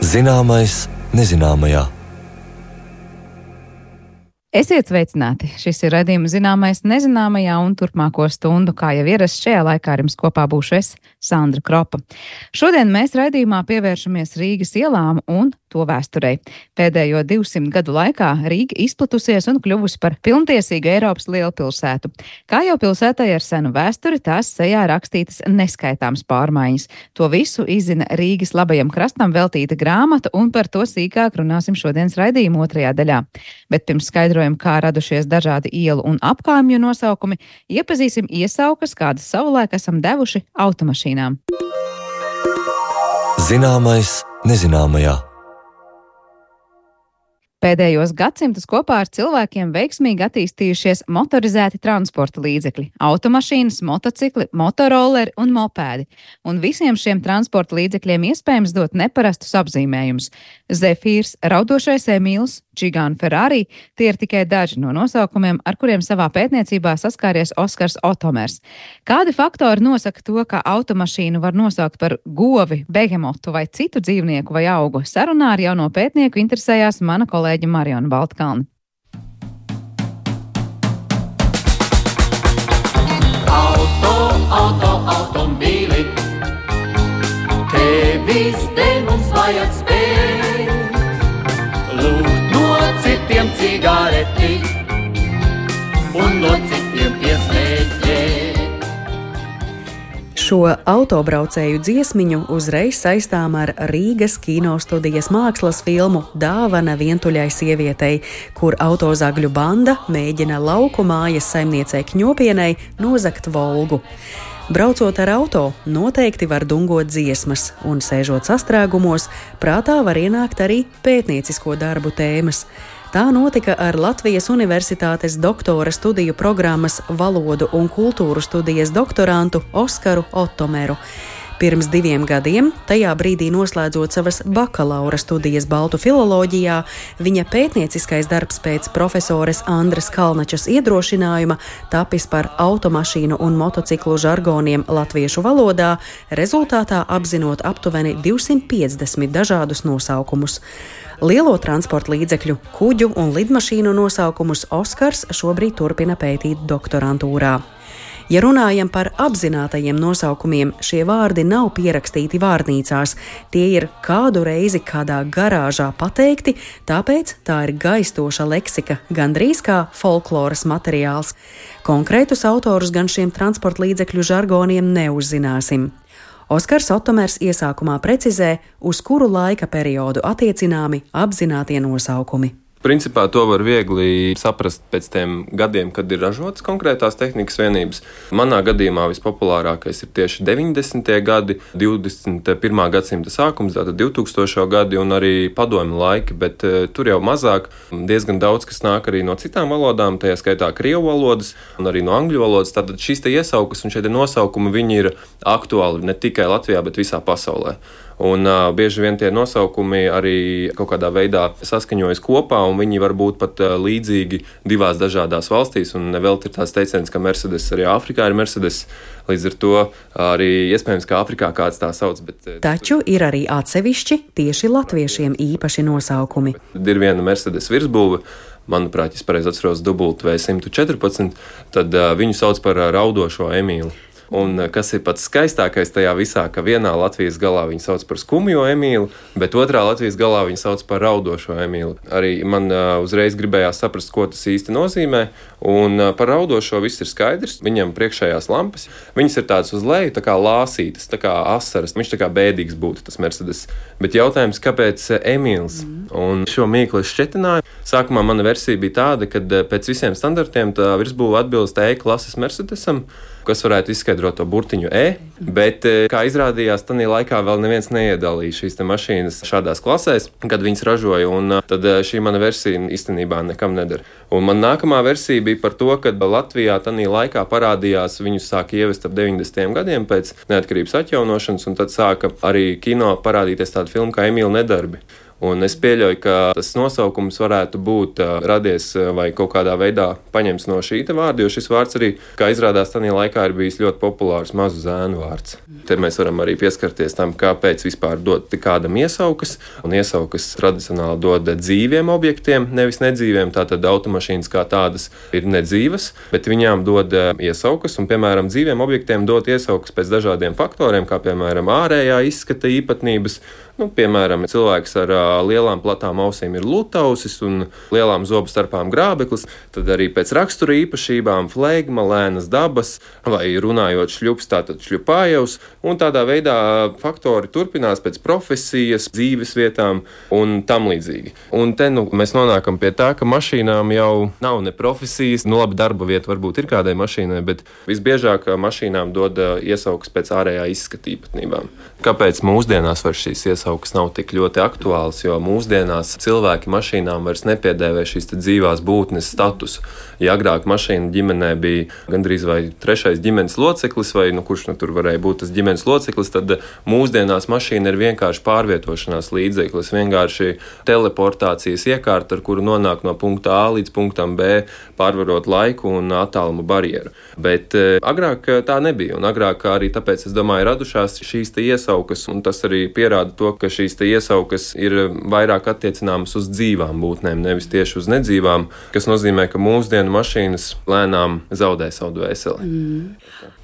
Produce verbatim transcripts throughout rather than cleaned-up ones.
Zināmais nezināmajā. Esiet sveicināti! Šis ir raidījums Zināmais nezināmajā, un turpmāko stundu, kā jau ierasts, šajā laikā ar jums kopā būšu es, Sandra Kropa. Šodien mēs raidījumā pievēršamies Rīgas ielām un to vēsturei. Pēdējo divsimt gadu laikā Rīga izplatusies un kļuvusi par pilntiesīgu Eiropas lielpilsētu. Kā jau pilsētai ar senu vēsturi, tās sejā rakstītas neskaitāmas pārmaiņas. To visu izzina Rīgas labajam krastam veltīta grāmata, un par to sīkāk runāsim šodienas raidījuma otrajā daļā. Bet pirms skaidrojam, kā radušies dažādi ielu un apkaimju nosaukumi, iepazīsim iesaukas, kādas savulaik esam devuši automašīnām. Zināmais nezināmajā. Pēdējos gadsimtus kopā ar cilvēkiem veiksmīgi attīstījušies motorizēti transporta līdzekļi - automašīnas, motocikli, motorolleri un mopēdi. Un visiem šiem transporta līdzekļiem iespējams dot neparastus apzīmējumus. Zefīrs, Raudošais Emīls, Čigāna Ferrari - tie ir tikai daži no nosaukumiem, ar kuriem savā pētniecībā saskāries Oskars Otomers. Kādi faktori nosaka to, ka automašīnu var nosaukt par govi, behemotu vai citu dzīvnieku vai augu? Sarunā ar jauno pētnieku interesējās mana kolēģe Mariona Baltkalne. Auto, auto, automobīli, tevis dēļ mums vajag spēt, lūgt no citiem cigareti un no citiem piesmēķēt. Šo autobraucēju dziesmiņu uzreiz saistām ar Rīgas kinostudijas mākslas filmu Dāvana vientuļai sievietei, kur autozagļu banda mēģina lauku mājas saimniecei Kņopienei nozagt Volgu. Braucot ar auto, noteikti var dungot dziesmas, un sēžot sastrēgumos, prātā var ienākt arī pētniecisko darbu tēmas. Tā notika ar Latvijas Universitātes doktora studiju programmas Valodu un kultūru studijas doktorantu Oskaru Otomeru. Pirms diviem gadiem, tajā brīdī noslēdzot savas bakalaura studijas baltu filoloģijā, viņa pētnieciskais darbs pēc profesores Andres Kalnačas iedrošinājuma tapis par automašīnu un motociklu žargoniem latviešu valodā, rezultātā apzinot aptuveni divsimt piecdesmit dažādus nosaukumus. Lielo transporta līdzekļu, kuģu un lidmašīnu nosaukumus Oskars šobrīd turpina pētīt doktorantūrā. Ja runājam par apzinātajiem nosaukumiem, šie vārdi nav pierakstīti vārnīcās, tie ir kādu reizi kādā garāžā pateikti, tāpēc tā ir gaistoša leksika, gandrīz kā folkloras materiāls. Konkrētus autorus gan šiem transporta līdzekļu žargoniem neuzzināsim. Oskars Otomers iesākumā precizē, uz kuru laika periodu attiecināmi apzinātie nosaukumi. Principā to var viegli saprast pēc tiem gadiem, kad ir ražotas konkrētās tehnikas vienības. Manā gadījumā vispopulārākais ir tieši deviņdesmitie gadi, divdesmit pirmā gadsimta sākums, tātad divtūkstošie gadi un arī padomju laiki, bet uh, tur jau mazāk. Diezgan daudz, kas nāk arī no citām valodām, tajā skaitā krievu valodas un arī no angļu valodas. Tātad šīs te iesaukas un šie te nosaukumi, viņi ir aktuāli ne tikai Latvijā, bet visā pasaulē. Un uh, bieži vien tie nosaukumi arī kaut kādā veidā saskaņojas kopā, un viņi var būt pat uh, līdzīgi divās dažādās valstīs, un nevelti ir tāds teiciens, ka Mercedes arī Āfrikā ir Mercedes, līdz ar to arī iespējams, ka Āfrikā kāds tā sauc. Bet, Taču ir arī atsevišķi tieši latviešiem īpaši nosaukumi. Ir viena Mercedes virsbūve, manuprāt, ja pareizi atceros, W simt četrpadsmit, tad uh, viņu sauc par uh, Raudošo Emīlu. Un kas ir pats skaistākais tajā visā, ka vienā Latvijas galā viņu sauc par Skumjo Emīlu, bet otrā Latvijas galā viņu sauc par Raudošo Emīlu. Arī man uh, uzreiz gribējās saprast, ko tas īsti nozīmē, un uh, par Raudošo viss ir skaidrs. Viņam priekšējās lampas, viņas ir tādas uz leju, tā kā lāsītas, tā kā asaras. Viņš tā kā bēdīgs būtu, tas Mercedes. Bet jautājums, kāpēc Emīls? Mm. Un šo mīklu es šķetināju. Sākumā mana versija bija tāda, ka pēc visiem standartiem tā virsbūve atbilst E klases Mercedesam, kas varētu izskaidrot to burtiņu E, bet, kā izrādījās, tanī laikā vēl neviens neiedalīja šīs te mašīnas šādās klasēs, kad viņas ražoja, un tad šī mana versija īstenībā nekam nedara. Un man nākamā versija bija par to, ka Latvijā tanī laikā parādījās, viņus sāka ievest ap deviņdesmitajiem gadiem pēc neatkarības atjaunošanas, un tad sāka arī kino parādīties tāda filma kā Emīla Nedarbi. Un es pieļauju, ka tas nosaukums varētu būt uh, radies uh, vai kaut kādā veidā paņemts no šī vārda, jo šis vārds arī, kā izrādās, tajā laikā ir bijis ļoti populārs mazu zēnu vārds. Te mēs varam arī pieskarties tam, kāpēc vispār dot kādam iesaukas, un iesaukas tradicionāli dod dzīviem objektiem, nevis nedzīviem, tātad automašīnas kā tādas ir nedzīvas, bet viņām dod uh, iesaukas, un, piemēram, dzīviem objektiem dot iesaukas pēc dažādiem faktoriem, kā, piemēram, ārējā izskata īpatnības. Nu, piemēram, cilvēks ar uh, lielām platām ausīm ir lutausis un lielām zobu starpām grābeklis, tad arī pēc rakstura īpašībām flegma, lēnas dabas vai runājot šļups, tātad šļupājevs, un tādā veidā faktori turpinās pēc profesijas, dzīves vietām un tam līdzīgi. Un te nu, mēs nonākam pie tā, ka mašīnām jau nav ne profesijas, nu labi, darba vieta varbūt ir kādai mašīnai, bet visbiežāk mašīnām dod uh, iesaukas pēc ārējā izskata īpatnībām. Kāpēc mūsdienās var šīs iesaukas nav tik ļoti aktuāls, jo mūsdienās cilvēki mašīnām vairs nepiedēvē šīs dzīvās būtnes statusu. Ja agrāk mašīna ģimenē bija gandrīz vai trešais ģimenes loceklis, vai nu, kurš nu tur varēja būt tas ģimenes loceklis, tad mūsdienās mašīna ir vienkārši pārvietošanās līdzeklis, vienkārši teleportācijas iekārta, ar kuru nonāk no punkta A līdz punktam B, pārvarot laiku un attālumu barjeru. Bet e, agrāk tā nebija, un agrāk arī tāpēc, es domāju, radušās šīs te iesaukas, un tas arī pierāda to, ka šīs te iesaukas ir vairāk attiecināmas uz dzīvām būtnēm, nevis tieši uz nedzīvām, kas nozīmē, ka mūsdienu mašīnas lēnām zaudē savu dvēseli. Mm.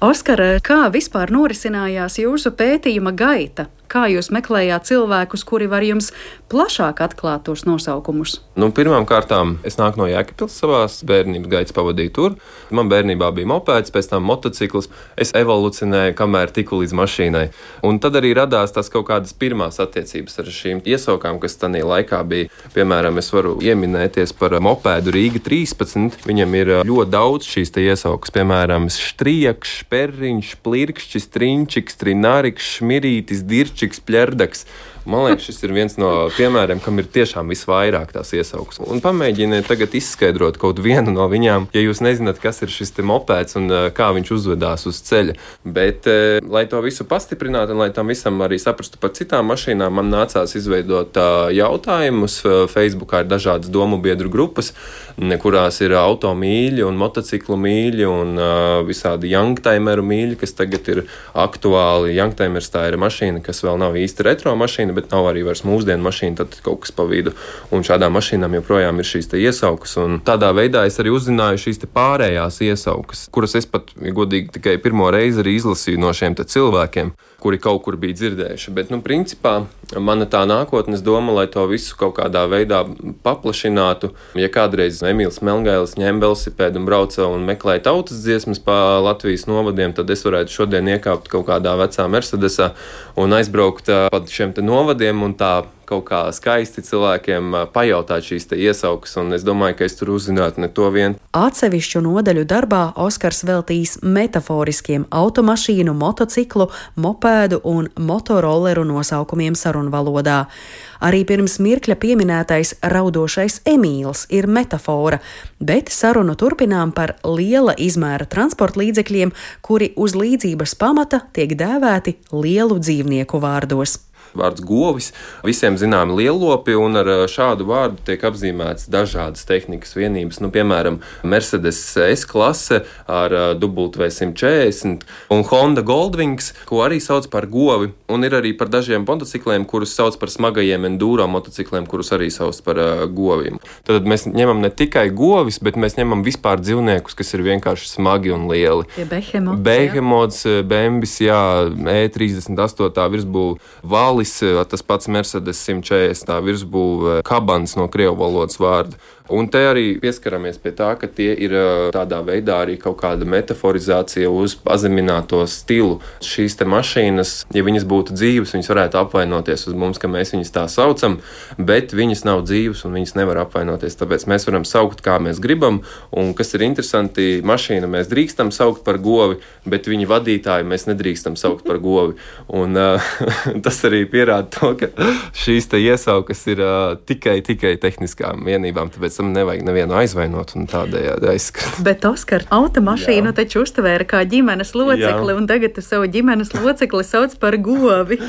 Oskar, kā vispār norisinājās jūsu pētījuma gaita? Kā jūs meklējāt cilvēkus, kuri var jums plašāk atklāt tos nosaukumus? Nu, pirmām kārtām es nāku no Jēkabpils, savās bērnības gaitas pavadīju tur. Man bērnībā bija mopēds, pēc tam motocikls. Es evolucionēju, kamēr tiku līdz mašīnai. Un tad arī radās tās kaut kādas pirmās attiecības ar šīm iesaukām, kas tajā laikā bija. Piemēram, es varu ieminēties par mopēdu Rīga trīspadsmit. Viņam ir ļoti daudz šīs te iesaukas. Piemēram, štriekš, perriņš, plirkšķis, trinčiks, trinārikš, šmirītis, dirčiks, pļerdaks. Man liekas, šis ir viens no piemēriem, kam ir tiešām visvairāk tās iesaukas. Un pamēģiniet tagad izskaidrot kaut vienu no viņām, ja jūs nezināt, kas ir šis te mopēds un kā viņš uzvedās uz ceļa. Bet, lai to visu pastiprinātu un lai tam visam arī saprastu par citām mašīnām, man nācās izveidot jautājumus. Facebookā ir dažādas domu biedru grupas, kurās ir automīļi un motociklu mīļi un visādi youngtimeru mīļi, kas tagad ir aktuāli. Youngtimers tā ir mašīna, kas vēl nav īsti retro mašīna, bet nav arī vairs mūsdienu mašīna, tad kaut kas pa vidu. Un šādām mašīnām joprojām ir šīs te iesaukas. Un tādā veidā es arī uzzināju šīs te pārējās iesaukas, kuras es pat, godīgi, tikai pirmo reizi arī izlasīju no šiem te cilvēkiem, kuri kaut kur bija dzirdējuši. Bet, nu, principā, mana tā nākotnes doma, lai to visu kaut kādā veidā paplašinātu. Ja kādreiz Emīls Melngailis ņem velosipēdu un brauca un meklēja tautas dziesmas pa Latvijas novadiem, tad es varētu šodien iekāpt kaut kādā vecā Mercedesā un aizbraukt pa šiem te novadiem un tā kaut kā skaisti cilvēkiem pajautāt šīs te iesaukas, un es domāju, ka es tur uzzinātu ne to vien. Atsevišķu nodaļu darbā Oskars veltīs metaforiskiem automašīnu, motociklu, mopēdu un motorolleru nosaukumiem sarunvalodā. Arī pirms mirkļa pieminētais raudošais Emīls ir metafora, bet sarunu turpinām par liela izmēra transporta līdzekļiem, kuri uz līdzības pamata tiek dēvēti lielu dzīvnieku vārdos. Vārds govis, visiem zināmi lielopi, un ar šādu vārdu tiek apzīmēts dažādas tehnikas vienības. Nu, piemēram, Mercedes S-klase ar W simt četrdesmit un Honda Goldwings, ko arī sauc par govi, un ir arī par dažiem motocikliem, kurus sauc par smagajiem enduro motocikliem, kurus arī sauc par uh, goviem. Tad mēs ņemam ne tikai govis, bet mēs ņemam vispār dzīvniekus, kas ir vienkārši smagi un lieli. Ja Behemots, Behemots, Bembis, jā, E trīsdesmit astoņā virsbūve, Valis, tas pats Mercedes simt četrdesmit virsbūve, Kabans no krievu valodas vārda. Un te arī pieskaramies pie tā, ka tie ir tādā veidā arī kaut kāda metaforizācija uz pazemināto stilu. Šīs te mašīnas, ja viņas būtu dzīves, viņas varētu apvainoties uz mums, ka mēs viņas tā saucam, bet viņas nav dzīves un viņas nevar apvainoties. Tāpēc mēs varam saukt, kā mēs gribam, un kas ir interesanti, mašīnu mēs drīkstam saukt par govi, bet viņa vadītāju mēs nedrīkstam saukt par govi. Un uh, tas arī arī pierāda to, ka šīs te iesaukas ir uh, tikai, tikai tehniskām vienībām, tāpēc tam nevajag nevienu aizvainot un tādējādi aizskart. Bet, Oskar, automašīnu Jā. taču uztvēra kā ģimenes locekli, Jā. un tagad tu savu ģimenes locekli sauc par govi.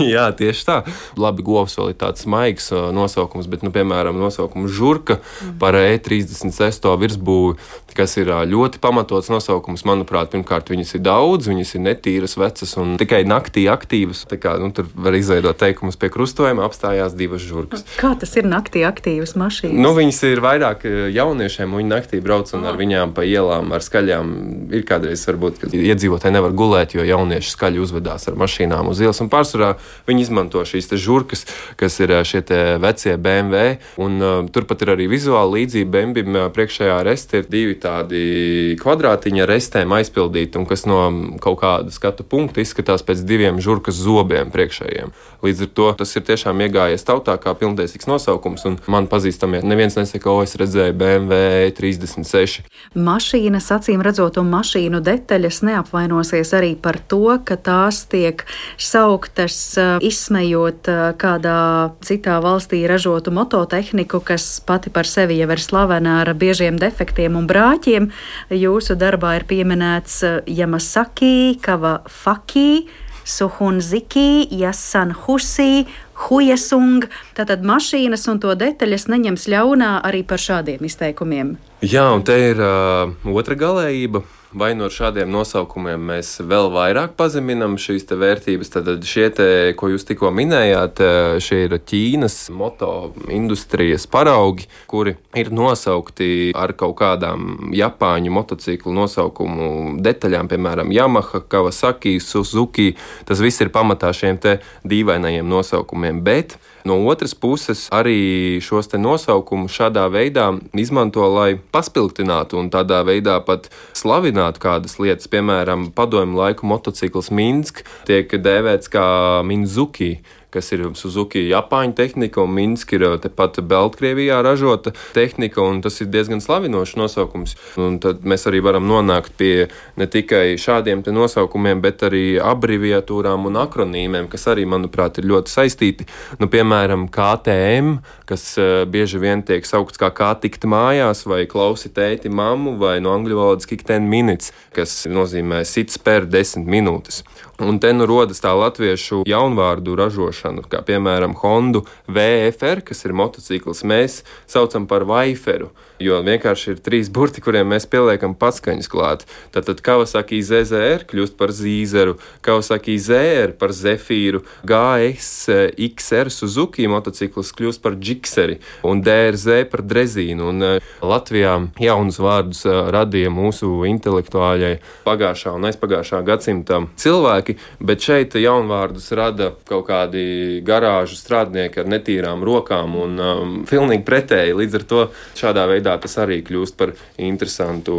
Jā, tieši tā. Labi, govs vēl ir tāds maigs uh, nosaukums, bet, nu, piemēram, nosaukums žurka mm. par E trīsdesmit sesto virsbūvi, kas ir uh, ļoti pamatots nosaukums. Manuprāt, pirmkārt, viņas ir daudz, viņas ir netīras, vecas un tikai naktī aktīvas. Tā kā, nu, tur var izveidot teikumus pie krustojuma, apstājās divas žurkas. Kā tas ir naktī aktīvas mašīnas? Nu, viņas ir vairāk jauniešiem, un viņi naktī brauc un ar viņām pa ielām, ar skaļām. Ir kādreiz varbūt, ka iedzīvotāji nevar gulēt, jo jaunieši skaļi uzvedās ar mašīnām uz ielas. Un pārsvarā viņi izmanto šīs te žurkas, kas ir šie te vecie B M W. Un uh, turpat ir arī vizuāli līdzība. B M W priekšējā reste ir divi tādi kvadrātiņi ar restēm aizpildīti, un kas no kaut kāda skatu punkta izskatās pēc diviem žurkas zobiem priekšējiem. Līdz ar to tas ir tiešām iegājies tautā kā pilntiesīgs nosaukums, un man pazīstamie neviens nesaka, o, es redzēju B M W E trīsdesmit seši. Mašīnas, acīm redzot, un mašīnu detaļas neapvainosies arī par to, ka tās tiek sauktas izsmejot kādā citā valstī ražotu mototehniku, kas pati par sevi jau ir slavena ar biežiem defektiem un brāķiem. Jūsu darbā ir pieminēts Yamasaki, Kawasaki, Suhunziki, Yasanhusi, Huyesung. Tātad mašīnas un to detaļas neņems ļaunā arī par šādiem izteikumiem. Jā, un te ir uh, otra galējība. Vai no šādiem nosaukumiem mēs vēl vairāk pazeminam šīs te vērtības? Tad šie te, ko jūs tikko minējāt, šie ir Ķīnas moto industrijas paraugi, kuri ir nosaukti ar kaut kādām Japāņu motociklu nosaukumu detaļām, piemēram, Yamaha, Kawasaki, Suzuki. Tas viss ir pamatā šiem te dīvainajiem nosaukumiem, bet no otras puses arī šos te nosaukumus šādā veidā izmanto, lai paspilgtinātu un tādā veidā pat slavinātu kādas lietas. Piemēram, padomju laiku motocikls Minsk tiek dēvēts kā Minzuki, kas ir Suzuki Japāņu tehnika, un Minsk ir tepat Baltkrievijā ražota tehnika, un tas ir diezgan slavinošs nosaukums. Un tad mēs arī varam nonākt pie ne tikai šādiem te nosaukumiem, bet arī abreviatūrām un akronīmiem, kas arī, manuprāt, ir ļoti saistīti. Nu, piemēram, K T M, kas bieži vien tiek saukts kā kā tikt mājās, vai klausi tēti mammu, vai no angļu valodas kick ten minutes, kas nozīmē sit spēr desmit minūtes. Un te nu rodas tā latviešu jaunvārdu ražošana, kā piemēram Hondu V F R, kas ir motocikls, mēs saucam par Vaiferu, jo vienkārši ir trīs burti, kuriem mēs pieliekam patskaņas klāt. Tātad Kawasaki Z Z R kļūst par Zīzeru, Kawasaki Z R par Zefīru, G S X R Suzuki motocikls kļūst par Gikseri un D R Z par Drezīnu. Un Latvijā jaunus vārdus radīja mūsu intelektuāļai pagājušā un aizpagājušā gadsimta cilvēki, bet šeit jaunvārdus rada kaut kādi garāžu strādnieki ar netīrām rokām un um, pilnīgi pretēji. Līdz ar to šādā veidā tas arī kļūst par interesantu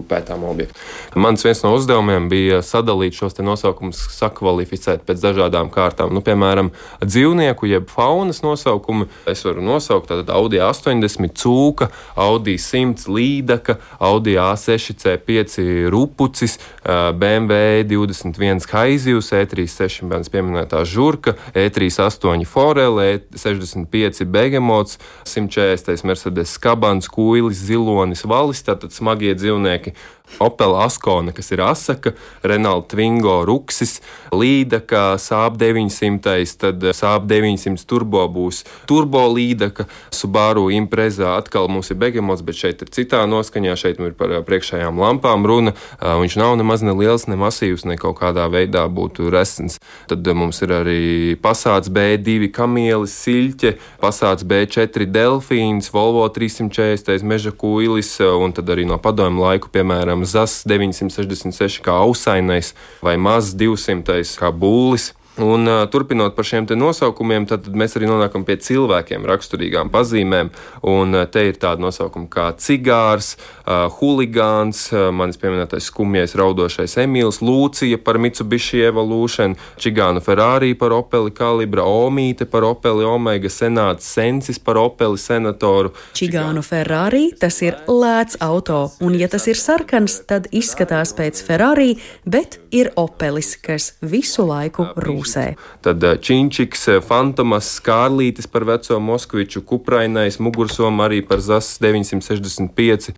pētāmu objektu. Mans viens no uzdevumiem bija sadalīt šos te nosaukumus, sakvalificēt pēc dažādām kārtām. Nu, piemēram, dzīvnieku jeb faunas nosaukumu es varu nosaukt tātad Audi A astoņdesmit cūka, Audi simts līdaka, Audi A seši C pieci rupucis, B M W divdesmit viens Haizivs, E trīsdesmit seši bērns pieminētā žurka, E trīsdesmit astoņi Forele, E sešdesmit pieci Begemots, simt četrdesmit Mercedes Skabans, Kuilis, Zilonis, Valis, tātad smagie dzīvnieki. Opel Askona, kas ir Asaka, Renault Twingo Ruksis, Līdaka, Saab deviņsimt, tad Saab deviņsimt turbo būs turbo Līdaka, Subaru Impreza atkal mums ir Begemots, bet šeit ir citā noskaņā, šeit ir par priekšējām lampām runa, viņš nav nemaz ne liels, ne masīvs, ne kaut kādā veidā būtu resns. Tad mums ir arī Passats B divi Kamielis, Siļķe, Passats B četri Delfīns, Volvo trīssimt četrdesmit Meža Kuilis, un tad arī no padomju laiku, piemēram, Zas deviņsimt sešdesmit seši kā Ausainais vai Maz divsimt kā Būlis. Un uh, turpinot par šiem te nosaukumiem, tad mēs arī nonākam pie cilvēkiem raksturīgām pazīmēm, un uh, te ir tāda nosaukuma kā cigārs, uh, huligāns, uh, manis pieminētais skumjais raudošais Emīls, Lūcija par Mitsubishi Evolution, Čigānu Ferrari par Opeli Kalibra, Omīte par Opeli Omega, Senāts Sensis par Opeli Senatoru. Čigānu Ferrari, tas ir lēts auto, un ja tas ir sarkans, tad izskatās pēc Ferrari, bet ir Opelis, kas visu laiku rūs. pusē. Tad Činčiks, Fantomas, Kārlītis par veco Moskviču, Kuprainais, Mugursoma arī par Zas deviņsimt sešdesmit pieci.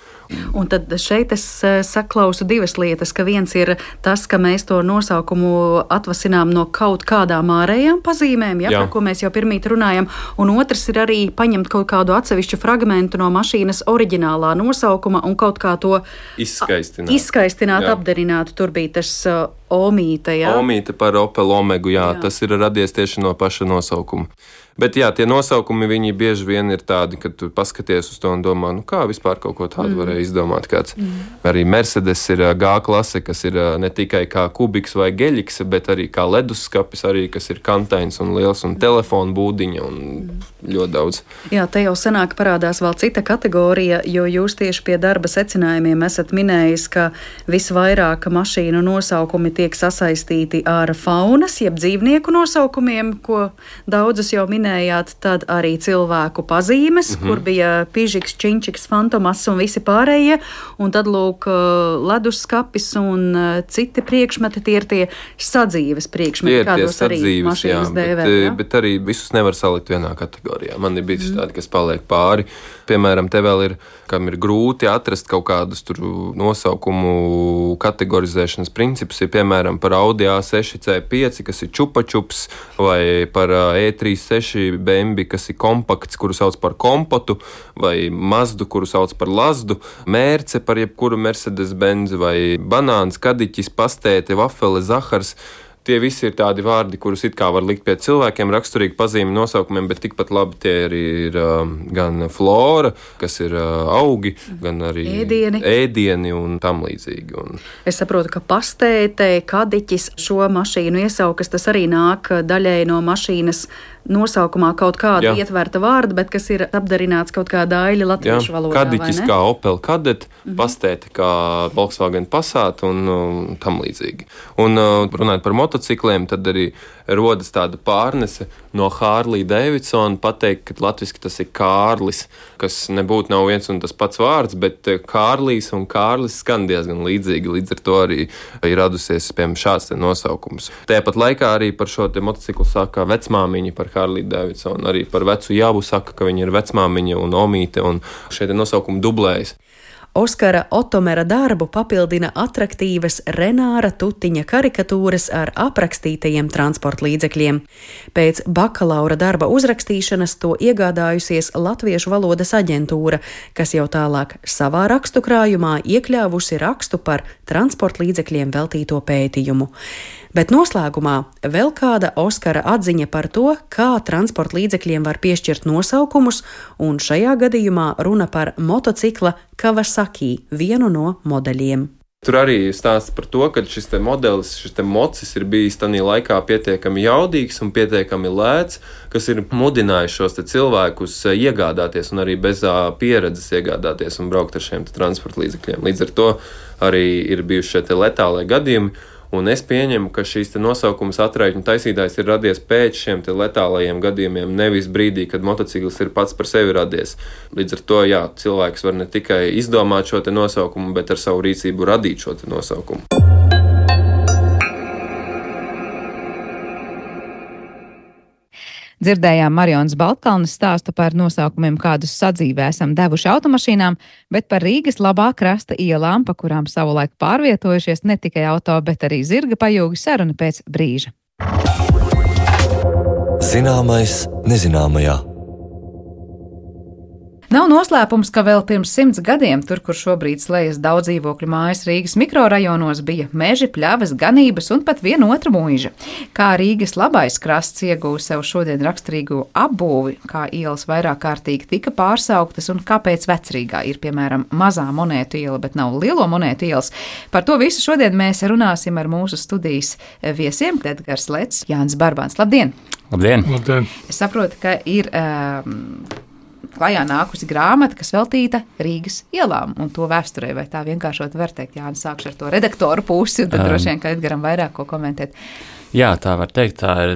Un tad šeit es saklausu divas lietas, ka viens ir tas, ka mēs to nosaukumu atvasinām no kaut kādām ārējām pazīmēm, ja, par ko mēs jau pirmīt runājam, un otrs ir arī paņemt kaut kādu atsevišķu fragmentu no mašīnas oriģinālā nosaukuma un kaut kā to izskaistināt, izskaistināt apdarināt. Tur bija tas uh, Omīte, jā? Omīte par Opel Omegu, jā, jā. Tas ir radies tieši no paša nosaukuma. Bet jā, tie nosaukumi, viņi bieži vien ir tādi, ka tu paskaties uz to un domā, nu kā vispār kaut ko tādu mm. varēja izdomāt kāds. Mm. Arī Mercedes ir G klase, kas ir ne tikai kā kubiks vai geļiks, bet arī kā leduskapis, arī kas ir kantains un liels un telefonu būdiņa un mm. ļoti daudz. Jā, te jau senāk parādās vēl cita kategorija, jo jūs tieši pie darba secinājumiem esat minējis, ka visvairāk mašīnu nosaukumi tiek sasaistīti ar faunas, jeb dzīvnieku nosaukumiem, ko daudzas jau minējāt. Tad arī cilvēku pazīmes, mm-hmm. kur bija Pižiks, Činčiks, Fantomas un visi pārējie. Un tad, lūk, leduskapis un citi priekšmeti, tie ir tie sadzīves priekšmeti, kādos arī mašīnas dēvē. Bet, bet arī visus nevar salikt vienā kategorijā. Man ir bijis mm. tādi, kas paliek pāri. Piemēram, te vēl ir, kam ir grūti atrast kaut kādus tur nosaukumu kategorizēšanas principus, ir piemēram par Audi A seši C pieci, kas ir čupačups, vai par E trīs seši B M W, kas ir kompakts, kuru sauc par kompotu, vai Mazdu, kuru sauc par Lazdu, Mērce par jebkuru Mercedes-Benz, vai banāns, kadiķis, pastēte, vafele, zahars. Tie visi ir tādi vārdi, kurus it kā var likt pie cilvēkiem, raksturīgi pazīmi nosaukumiem, bet tikpat labi tie arī ir uh, gan flora, kas ir uh, augi, gan arī ēdieni, ēdieni un tam līdzīgi. Un... Es saprotu, ka pastēte, kadiķis šo mašīnu iesaukas, tas arī nāk daļēji no mašīnas nosaukumā kaut kāda Jā. ietverta vārda, bet kas ir apdarināts kaut kādā aļa latviešu valodā. Kadiķis kā Opel Kadett, mm-hmm. pastēte kā Volkswagen Passat un um, tam līdzīgi. Un uh, runājot par motocikliem, tad arī rodas tāda pārnese no Harley Davidson pateikt, ka latviski tas ir Kārlis, kas nebūtu nav viens un tas pats vārds, bet Kārlis un Kārlis skan diezgan līdzīgi, līdz ar to arī ir radusies, piemēram, šāds te nosaukums. Tāpat laikā arī par šo te motociklu saka vecmāmiņa par Harley Davidson, arī par vecu Javu saka, ka viņa ir vecmāmiņa un Omīte, un šie te nosaukumi dublējas. Oskara Otomera darbu papildina atraktīvas Renāra Tutiņa karikatūras ar aprakstītajiem transporta līdzekļiem. Pēc bakalaura darba uzrakstīšanas to iegādājusies Latviešu valodas aģentūra, kas jau tālāk savā rakstu krājumā iekļāvusi rakstu par transporta līdzekļiem veltīto pētījumu. Bet noslēgumā vēl kāda Oskara atziņa par to, kā transporta līdzekļiem var piešķirt nosaukumus, un šajā gadījumā runa par motocikla Kawasaki, vienu no modeļiem. Tur arī stāsts par to, ka šis te modelis, šis te mocis ir bijis tanī laikā pietiekami jaudīgs un pietiekami lēts, kas ir mudinājis šos te cilvēkus iegādāties un arī bez pieredzes iegādāties un braukt ar šiem te transporta līdzekļiem. Līdz ar to arī ir bijuši šie te letālie gadījumi. Un es pieņemu, ka šīs nosaukums atraitņu taisītājs ir radies pēc šiem letālajiem gadījumiem, nevis brīdī, kad motociklis ir pats par sevi radies. Līdz ar to, jā, cilvēks var ne tikai izdomāt šo te nosaukumu, bet ar savu rīcību radīt šo te nosaukumu. Dzirdējām Marijonas Baltkalnes stāstu par nosaukumiem, kādus sadzīvē esam devuši automašīnām, bet par Rīgas labā krasta ielām, pa kurām savulaik pārvietojušies ne tikai auto, bet arī zirga pajūgi, saruna pēc brīža. Zināmais nezināmajā. Nav noslēpums, ka vēl pirms simts gadiem, tur, kur šobrīd slējas daudz dzīvokļu mājas Rīgas mikrorajonos, bija meži, pļavas, ganības un pat viena otra mūža. Kā Rīgas labais krasts ieguva sev šodien raksturīgu apbūvi, kā ielas vairāk kārtīgi tika pārsauktas un kāpēc Vecrīgā ir, piemēram, mazā monētu iela, bet nav lielo monētu ielas. Par to visu šodien mēs runāsim ar mūsu studijas viesiem, Edgars Lets, Jānis Barbāns. Labdien! Labdien! Labdien. Es saprotu, ka ir... Um, klajā nākusi grāmata, kas veltīta Rīgas ielām un to vēsturē, vai tā vienkāršot var teikt. Jā, sākšu ar to redaktoru pusi, un tad um, droši vien, ka Edgaram vairāk ko komentēt. Jā, tā var teikt, tā ir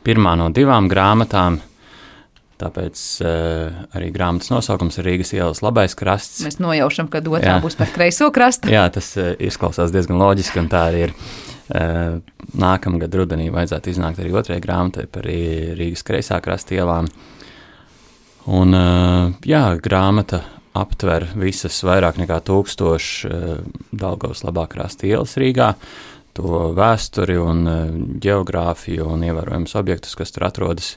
pirmā no divām grāmatām, tāpēc uh, arī grāmatas nosaukums ir Rīgas ielas labais krasts. Mēs nojaušam, ka otrā jā. būs par kreiso krastu. Jā, tas uh, izklausās diezgan loģiski, un tā arī ir. Nākamgad rudenī vajadzētu iznākt arī otrai grāmatai par Rīgas kreisā krasta ielām. Un, jā, grāmata aptver visas vairāk nekā tūkstoši Daugavas labā krasta ielas Rīgā, to vēsturi un ģeogrāfiju un ievērojams objektus, kas tur atrodas.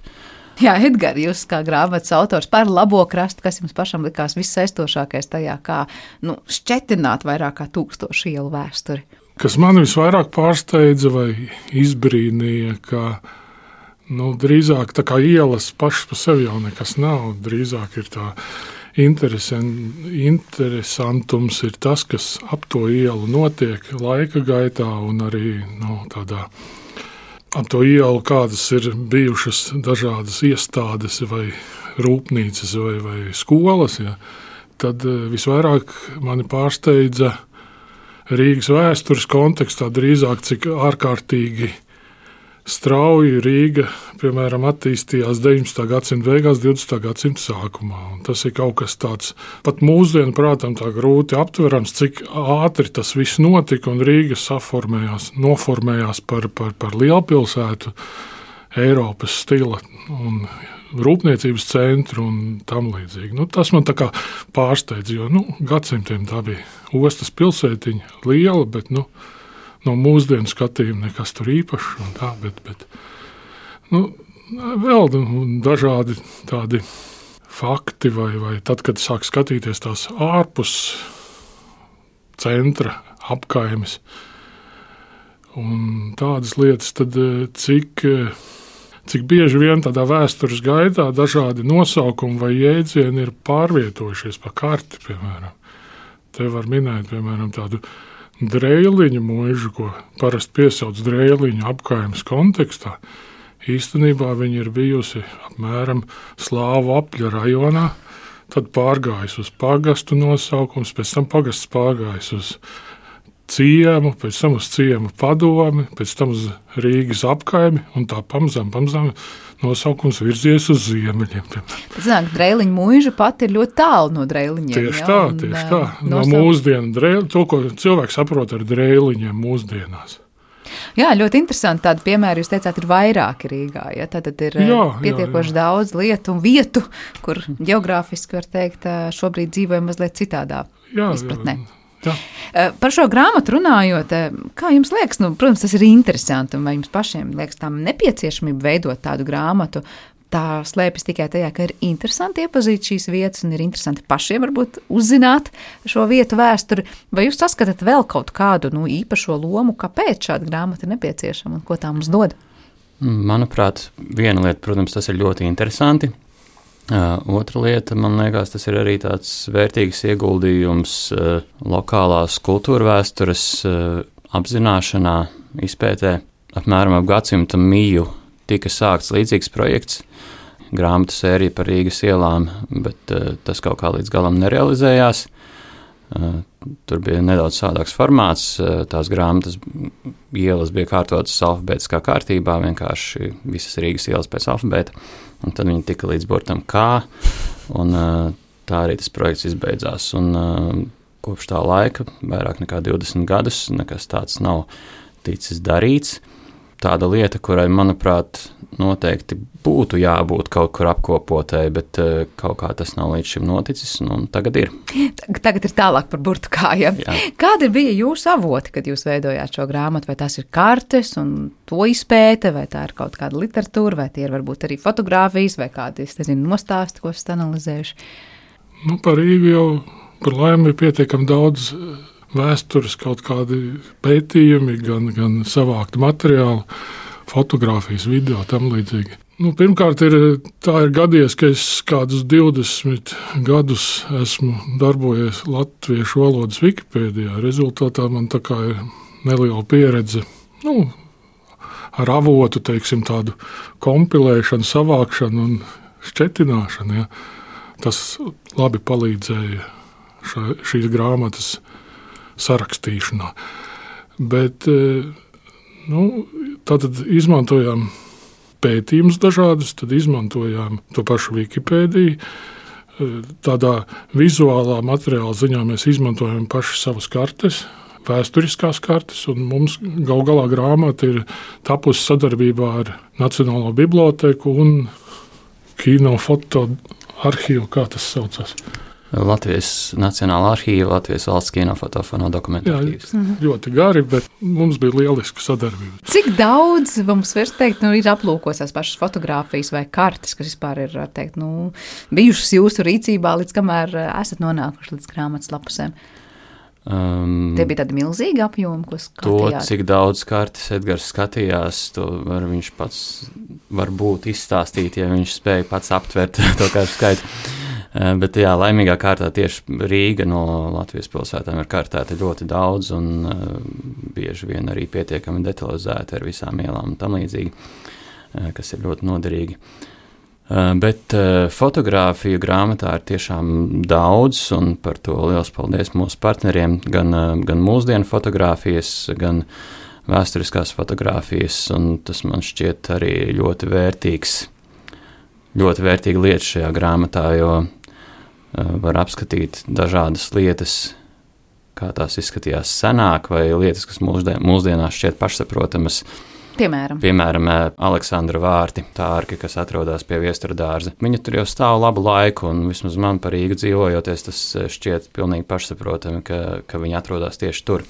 Jā, Edgar, jūs kā grāmatas autors par labo krastu, kas jums pašam likās vissaistošākais tajā, kā nu, šķetināt vairāk kā tūkstošu ielu vēsturi? Kas man visvairāk pārsteidza vai izbrīnīja, ka nu, drīzāk tā kā ielas pašas pa sevi jau nekas nav, drīzāk ir tā interesantums ir tas, kas ap to ielu notiek laika gaitā un arī nu, tādā ap to ielu, kādas ir bijušas dažādas iestādes vai rūpnīcas vai, vai skolas, ja, tad visvairāk mani pārsteidza Rīgas vēstures kontekstā drīzāk, cik ārkārtīgi strauji Rīga, piemēram, attīstījās deviņpadsmitā gadsimta beigās, divdesmitā gadsimta sākumā. Un tas ir kaut kas tāds, pat mūsdienu prātam tā grūti aptverams, cik ātri tas viss notika un Rīga saformējās, noformējās par, par, par lielpilsētu, Eiropas stila un rūpniecības centru un tam līdzīgi. Nu, tas man tā kā pārsteidz, jo nu, gadsimtiem tā bija ostas pilsētiņa liela, bet nu, no mūsdienu skatījuma nekas tur īpašs un tā, bet, bet nu, vēl dažādi tādi fakti vai, vai tad, kad sāk skatīties tās ārpus centra apkaimes un tādas lietas, tad cik, cik bieži vien tādā vēstures gaitā dažādi nosaukumi vai jēdzieni ir pārvietojušies pa karti, piemēram. Te var minēt, piemēram, tādu Dreiliņu mūžu, ko parasti piesauc Dreiliņu apkaimes kontekstā, īstenībā viņa ir bijusi apmēram Slāvu apļa rajonā, tad pārgājis uz pagastu nosaukums, pēc tam pagasts pārgājis uz ciemu, pēc tam uz ciemu padomi, pēc tam uz Rīgas apkaimi un tā pamazām, pamazām nosaukums virzies uz ziemeļiem. Tas nāk, Dreiliņu mūža pat ir ļoti tālu no Dreiliņiem. Tieši tā, un, tieši tā. No nosauk... mūsdienu dreili, to, ko cilvēks saprot ar Dreiliņiem mūsdienās. Jā, ļoti interesanti tādi piemēri, jūs teicāt, ir vairāki Rīgā, ja? Tātad ir jā, pietiekoši jā, jā. daudz lietu un vietu, kur geogrāfiski var teikt, šobrīd dzīvoja mazliet citādā jā, izpratnē. Jā. Jā. Par šo grāmatu runājot, kā jums liekas, nu, protams, tas ir interesanti, un vai jums pašiem liekas tām nepieciešamība veidot tādu grāmatu, tā slēpjas tikai tajā, ka ir interesanti iepazīt šīs vietas un ir interesanti pašiem varbūt uzzināt šo vietu vēsturi, vai jūs saskatāt vēl kaut kādu nu, īpašo lomu, kāpēc šāda grāmata ir nepieciešama un ko tā mums dod? Manuprāt, viena lieta, protams, tas ir ļoti interesanti. Uh, otra lieta, man liekas, tas ir arī tāds vērtīgs ieguldījums uh, lokālās kultūra vēstures uh, apzināšanā, izpētē. Apmēram ap gadsimta miju tika sākts līdzīgs projekts, grāmatu sērija par Rīgas ielām, bet uh, tas kaut kā līdz galam nerealizējās. Uh, tur bija nedaudz savādāks formāts, uh, tās grāmatas ielas bija kārtotas alfabētiskā kārtībā, vienkārši visas Rīgas ielas pēc alfabēta. Un tad viņi tika līdz burtam K, un tā arī tas projekts izbeidzās. Un kopš tā laika, vairāk nekā divdesmit gadus, nekas tāds nav ticis darīts. Tāda lieta, kurai, manuprāt, noteikti būtu jābūt kaut kur apkopotai, bet kaut kā tas nav līdz šim noticis, un tagad ir. Tagad ir tālāk par burtu kājām. Kādi bija jūsu avoti, kad jūs veidojāt šo grāmatu? Vai tās ir kartes un to izpēte, vai tā ir kaut kāda literatūra, vai tie ir varbūt arī fotogrāfijas, vai kādi, es nezinu, nostāsti, ko esat analizējuši? Nu, par Rīgu jau par laimi ir pietiekami daudz vēstures, kaut kādi pētījumi, gan, gan savākti materiāli, fotogrāfijas, video, tam līdzīgi. Nu, pirmkārt, ir, tā ir gadies, ka es kādus divdesmit gadus esmu darbojies latviešu valodas Wikipēdijā. Rezultātā man tā kā ir neliela pieredze, nu, ar avotu, teiksim, tādu kompilēšanu, savākšanu un šķetināšanu. Ja. Tas labi palīdzēja ša, šīs grāmatas sarakstīšanā. Bet, nu, tātad izmantojām pētījumus dažādus, tad izmantojām to pašu Wikipēdiju. Tādā vizuālā materiāla ziņā mēs izmantojam paši savas kartes, vēsturiskās kartes, un mums gal galā grāmata ir tapusi sadarbībā ar Nacionālo bibliotēku un kino foto arhīvu, kā tas saucas. Latvijas Nacionālā arhīva, Latvijas valsts kinofotofono dokumentu arhīvs. Jā, ļoti gari, bet mums bija lieliska sadarbība. Cik daudz mums var teikt, nu, ir aplūkots tās pašas fotogrāfijas vai kartes, kas vispār ir, teikt, nu, bijušas jūsu rīcībā, līdz kamēr esat nonākuši līdz grāmatas lapusēm? Um, Tie bija tādi milzīgi apjomi, ko skatījāt? To, cik daudz kartes Edgars skatījās, to var viņš pats varbūt izstāstīt, ja viņš spēja pats aptvert to kartu skaitu. Bet, jā, laimīgā kārtā tieši Rīga no Latvijas pilsētām ir kartēta ļoti daudz un uh, bieži vien arī pietiekami detalizēta ar visām ielām un tam līdzīgi, uh, kas ir ļoti noderīgi. Uh, bet uh, fotogrāfiju grāmatā ir tiešām daudz, un par to liels paldies mūsu partneriem, gan, uh, gan mūsdienu fotogrāfijas, gan vēsturiskās fotogrāfijas, un tas man šķiet arī ļoti vērtīgs, ļoti vērtīga lieta šajā grāmatā, jo var apskatīt dažādas lietas, kā tās izskatījās senāk, vai lietas, kas mūsdien, mūsdienās šķiet pašsaprotamas. Piemēram. Piemēram, Aleksandra vārti, tā arka, kas atrodas pie Viestura dārza. Viņa tur jau stāv labu laiku, un vismaz man par Rīgu dzīvojoties, tas šķiet pilnīgi pašsaprotami, ka, ka viņa atrodas tieši tur.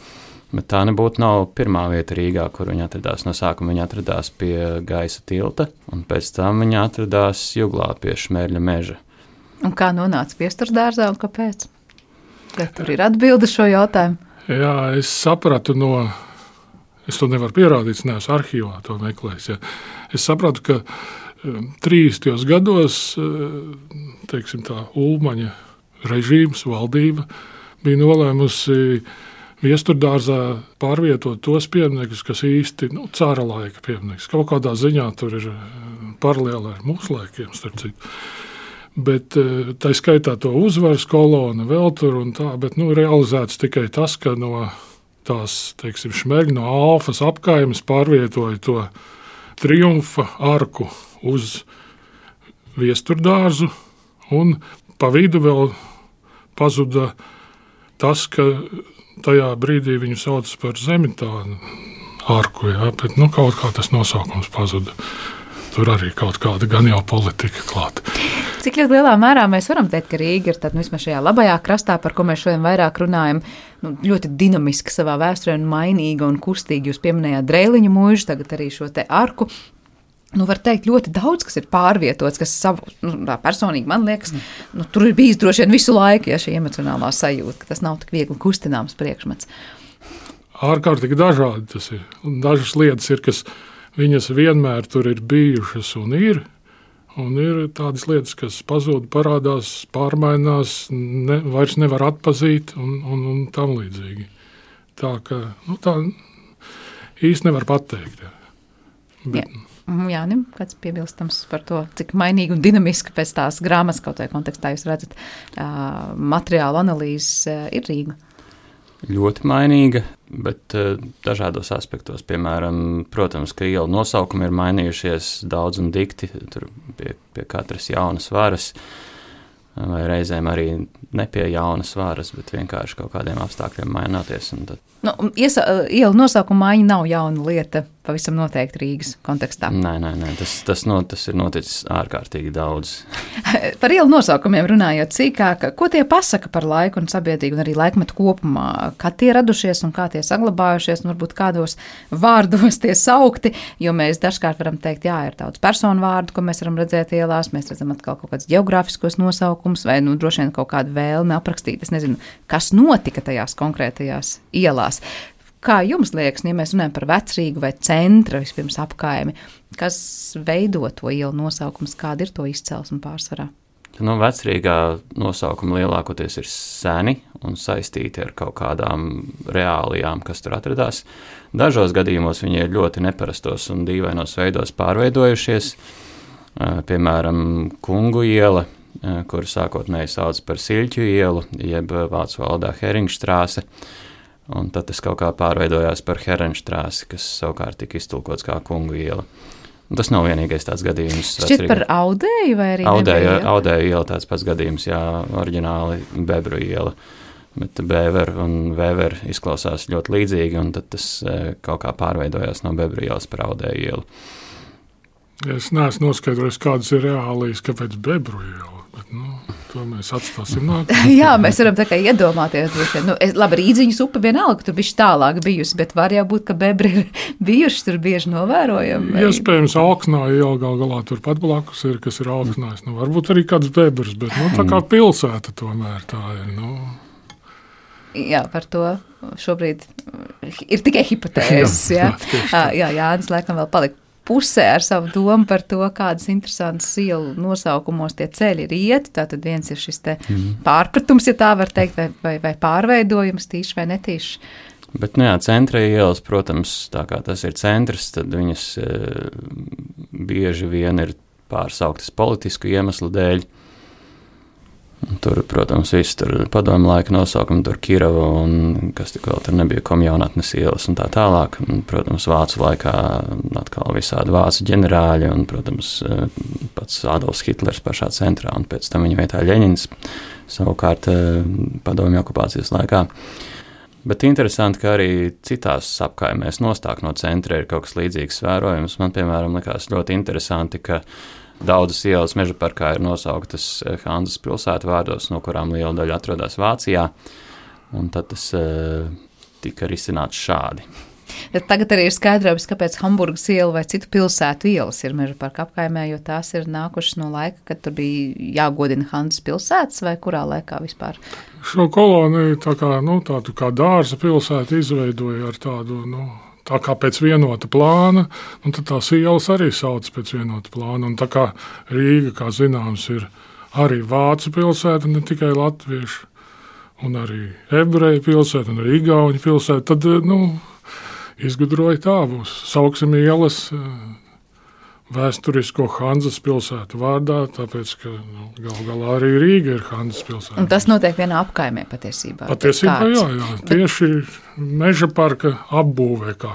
Bet tā nebūtu nav pirmā vieta Rīgā, kur viņa atradās. No sākuma viņa atradās pie Gaisa tilta, un pēc tam viņa atradās Juglā pie Šmērļa meža. Un kā nonāca Viestura dārzā un kāpēc? Vai tur ir atbilde šo jautājumu? Jā, es sapratu no, es to nevaru pierādīt, neesmu arhīvā to meklējis. Ja. Es sapratu, ka trīsdesmitajos gados, teiksim tā, Ulmaņa režīms, valdība bija nolēmusi Viestura dārzā pārvietot tos pieminekļus, kas īsti, nu, cara laika pieminekļus. Kaut kādā ziņā tur ir paralēli ar mūsu laikiem, starp citu. Bet tā skaitā to uzvaras kolona vēl tur un tā, bet, nu, realizēts tikai tas, ka no tās, teiksim, Šmērļa, no Alfas apkaimes pārvietoja to triumfa arku uz Viestura dārzu, un pa vidu vēl pazuda tas, ka tajā brīdī viņu sauc par Zemitānu arku, jā, bet, nu, kaut kā tas nosaukums pazuda. Tur arī kaut kāda gan jau politika klāta. Cik ļoti lielā mērā mēs varam teikt, ka Rīga ir tad, nu, vismaz šajā labajā krastā, par ko mēs šodien vairāk runājam, nu, ļoti dinamiska savā vēsturē un mainīga un kustīga. Jūs pieminējāt Dreiliņu mūžu, tagad arī šo te arku. Nu, var teikt, ļoti daudz, kas ir pārvietots, kas savu, nu, tā personīgi man liekas, nu, tur ir bijis droši vien visu laiku, ja šī emocionālā sajūta, ka tas nav tik viegli kustināms priekšmets. Ārkārtīgi dažādi tas ir. Un dažas lietas ir, kas viņas vienmēr tur ir bijušas un ir, un ir tādas lietas, kas pazūd, parādās, pārmainās, ne, vairs nevar atpazīt un, un, un tam līdzīgi. Tā ka, nu, tā īsti nevar pateikt. Jā. Bet, Jā. Jānim, kāds piebilstams par to, cik mainīgi un dinamiski pēc tās grāmatas kaut vai kontekstā jūs redzat, uh, materiālu analīzes uh, ir Rīga? Ļoti mainīga, bet uh, dažādos aspektos. Piemēram, protams, ka ielu nosaukumi ir mainījušies daudz un dikti, tur pie, pie katras jaunas varas, vai reizēm arī ne pie jaunas varas, bet vienkārši kaut kādiem apstākļiem mainoties. Un tad... Nu, iesa, ielu nosaukuma maiņa nav jauna lieta, pavisam noteikti Rīgas kontekstā. Nē, nē, nē tas, tas, no, tas ir noticis ārkārtīgi daudz. Par ielu nosaukumiem runājot sīkāk, ko tie pasaka par laiku un sabiedrību un arī laikmetu kopumā? Kā tie radušies un kā tie saglabājušies un varbūt kādos vārdos tie saukti, jo mēs dažkārt varam teikt, jā, ir daudz personu vārdu, ko mēs varam redzēt ielās, mēs redzam atkal kaut kāds geogrāfiskos nosaukums vai, nu, droši vien kaut kādu vēlmi aprakstīt, es nezinu, kas notika tajās konkrētajās ielās. Kā jums liekas, ja mēs runājam par Vecrīgu vai centra vispirms apkaimi, kas veido to ielu nosaukums, kāda ir to izcelsme pārsvarā? Nu, Vecrīgā nosaukumi lielākoties ir seni un saistīti ar kaut kādām reālijām, kas tur atradās. Dažos gadījumos viņi ir ļoti neparastos un dīvainos veidos pārveidojušies. Piemēram, Kungu iela, kur sākotnēji sauc par Siļķu ielu, jeb vācu valodā Heringštrāse. Un tad tas kaut kā pārveidojās par Herenštrāsi, kas savukārt tika iztulkots kā Kungu iela. Un tas nav vienīgais tāds gadījums. Šķiet par Audēju vai arī Audēju, Audēju iela tāds pats gadījums, jā, oriģināli Bebru iela. bet Bēver un Vēver izklausās ļoti līdzīgi, un tad tas kaut kā pārveidojās no Bebru ielas par Audēju ielu. Es neesmu noskaidrojis, kādas ir reālijas, kāpēc Bebru iela, bet, nu, to mēs atstāsim nākamā. Jā, mēs varam tā kā iedomāties. Nu, es, labi, Rīdziņas upe vienalga, tur bišķi tālāk bijusi, bet var jau būt, ka Bebri ir bijuši tur bieži novērojami. Vai... Iespējams, Alksnā iela gal galā turpat blakus ir, kas ir Alksnājs. Nu, varbūt arī kāds Bebrs, bet, nu, tā kā pilsēta tomēr tā ir, nu... Jā, par to šobrīd ir tikai hipotēzes, jā. Jā, jā, Jānis laikam vēl palika pusē ar savu domu par to, kādas interesantas ielu nosaukumos tie ceļi ir ieti. Tātad viens ir šis te pārpratums, ja tā var teikt, vai, vai, vai pārveidojums, tīši vai netīši. Bet, nu jā, centra ielas, protams, tā kā tas ir centrs, tad viņas e, bieži vien ir pārsauktas politisku iemeslu dēļ. Tur, protams, viss tur padomu laika nosaukumi, tur Kirava un kas tik vēl tur nebija komjaunatnes ielas un tā tālāk. Un, protams, vācu laikā atkal visādi vācu ģenerāļi un, protams, pats Adolfs Hitlers pašā centrā un pēc tam viņa vietā Ļeņins savukārt padomju okupācijas laikā. Bet interesanti, ka arī citās apkaimēs nostāk no centra ir kaut kas līdzīgs vērojums. Man, piemēram, likās ļoti interesanti, ka daudzas ielas Mežaparkā ir nosauktas Hanzas pilsētu vārdos, no kurām liela daļa atrodas Vācijā, un tad tas uh, tika risināts šādi. Tagad arī ir skaidrojums, kāpēc Hamburgas iela vai citu pilsētu ielas ir Mežaparka apkaimē, jo tās ir nākušas no laika, kad tur bija jāgodina Hanzas pilsētas, vai kurā laikā vispār? Šo koloniju tā kā, nu, tādu kā dārza pilsētu izveidoja ar tādu, nu, tā kā pēc vienota plāna, un tad tās ielas arī sauc pēc vienota plāna. Un tā kā Rīga, kā zināms, ir arī vācu pilsēta, ne tikai latviešu, un arī ebreju pilsēta, un arī igauņu pilsēta, tad, nu, izgudroja tā būs. Sauksim ielas vēsturisko Hanzas pilsētu vārdā, tāpēc, ka nu, gal galā arī Rīga ir Hanzas pilsēta. Un tas notiek vienā apkaimē patiesībā? Patiesībā, jā, jā. Tieši Mežaparka apbūvē, kā,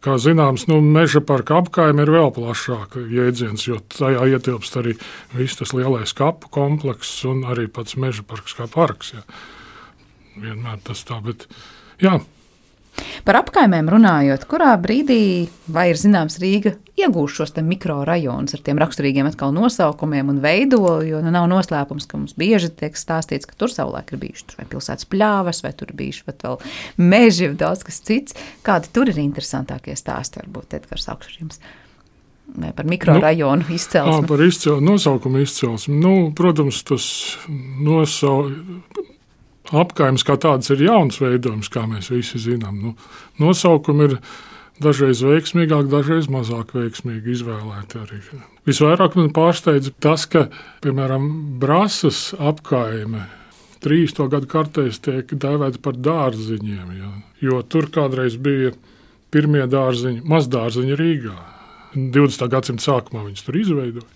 kā zināms, nu, Mežaparka apkaime ir vēl plašāka jēdziens, jo tajā ietilpst arī viss tas lielais kapu komplekss un arī pats Mežaparks kā parks, jā. Vienmēr tas tā, bet, jā. Par apkaimēm runājot, kurā brīdī, vai ir zināms, Rīga iegūst šos te mikrorajonus ar tiem raksturīgiem atkal nosaukumiem un veidolu, jo nu nav noslēpums, ka mums bieži tiek stāstīts, ka tur savulaik ir bijuši tur vai pilsētas pļāvas, vai tur ir bijuši pat vēl meži un daudz kas cits. Kādi tur ir interesantākie stāsti, varbūt, Edgars Augšrims? Vai par mikrorajonu nu, izcelsmi? Jā, par izcel, nosaukumu izcelsmi. Nu, protams, tas nosaukumu. Apkaimes kā tādas ir jauns veidojums, kā mēs visi zinām. Nu, nosaukumi ir dažreiz veiksmīgāk, dažreiz mazāk veiksmīgi izvēlēti arī. Visvairāk man pārsteidza tas, ka, piemēram, Brasas apkaime trīsdesmito gadu kartēs tiek dēvēta par dārziņiem, ja, jo tur kādreiz bija pirmie dārziņi, mazdārziņi Rīgā. divdesmitā gadsimta sākumā viņus tur izveidoja.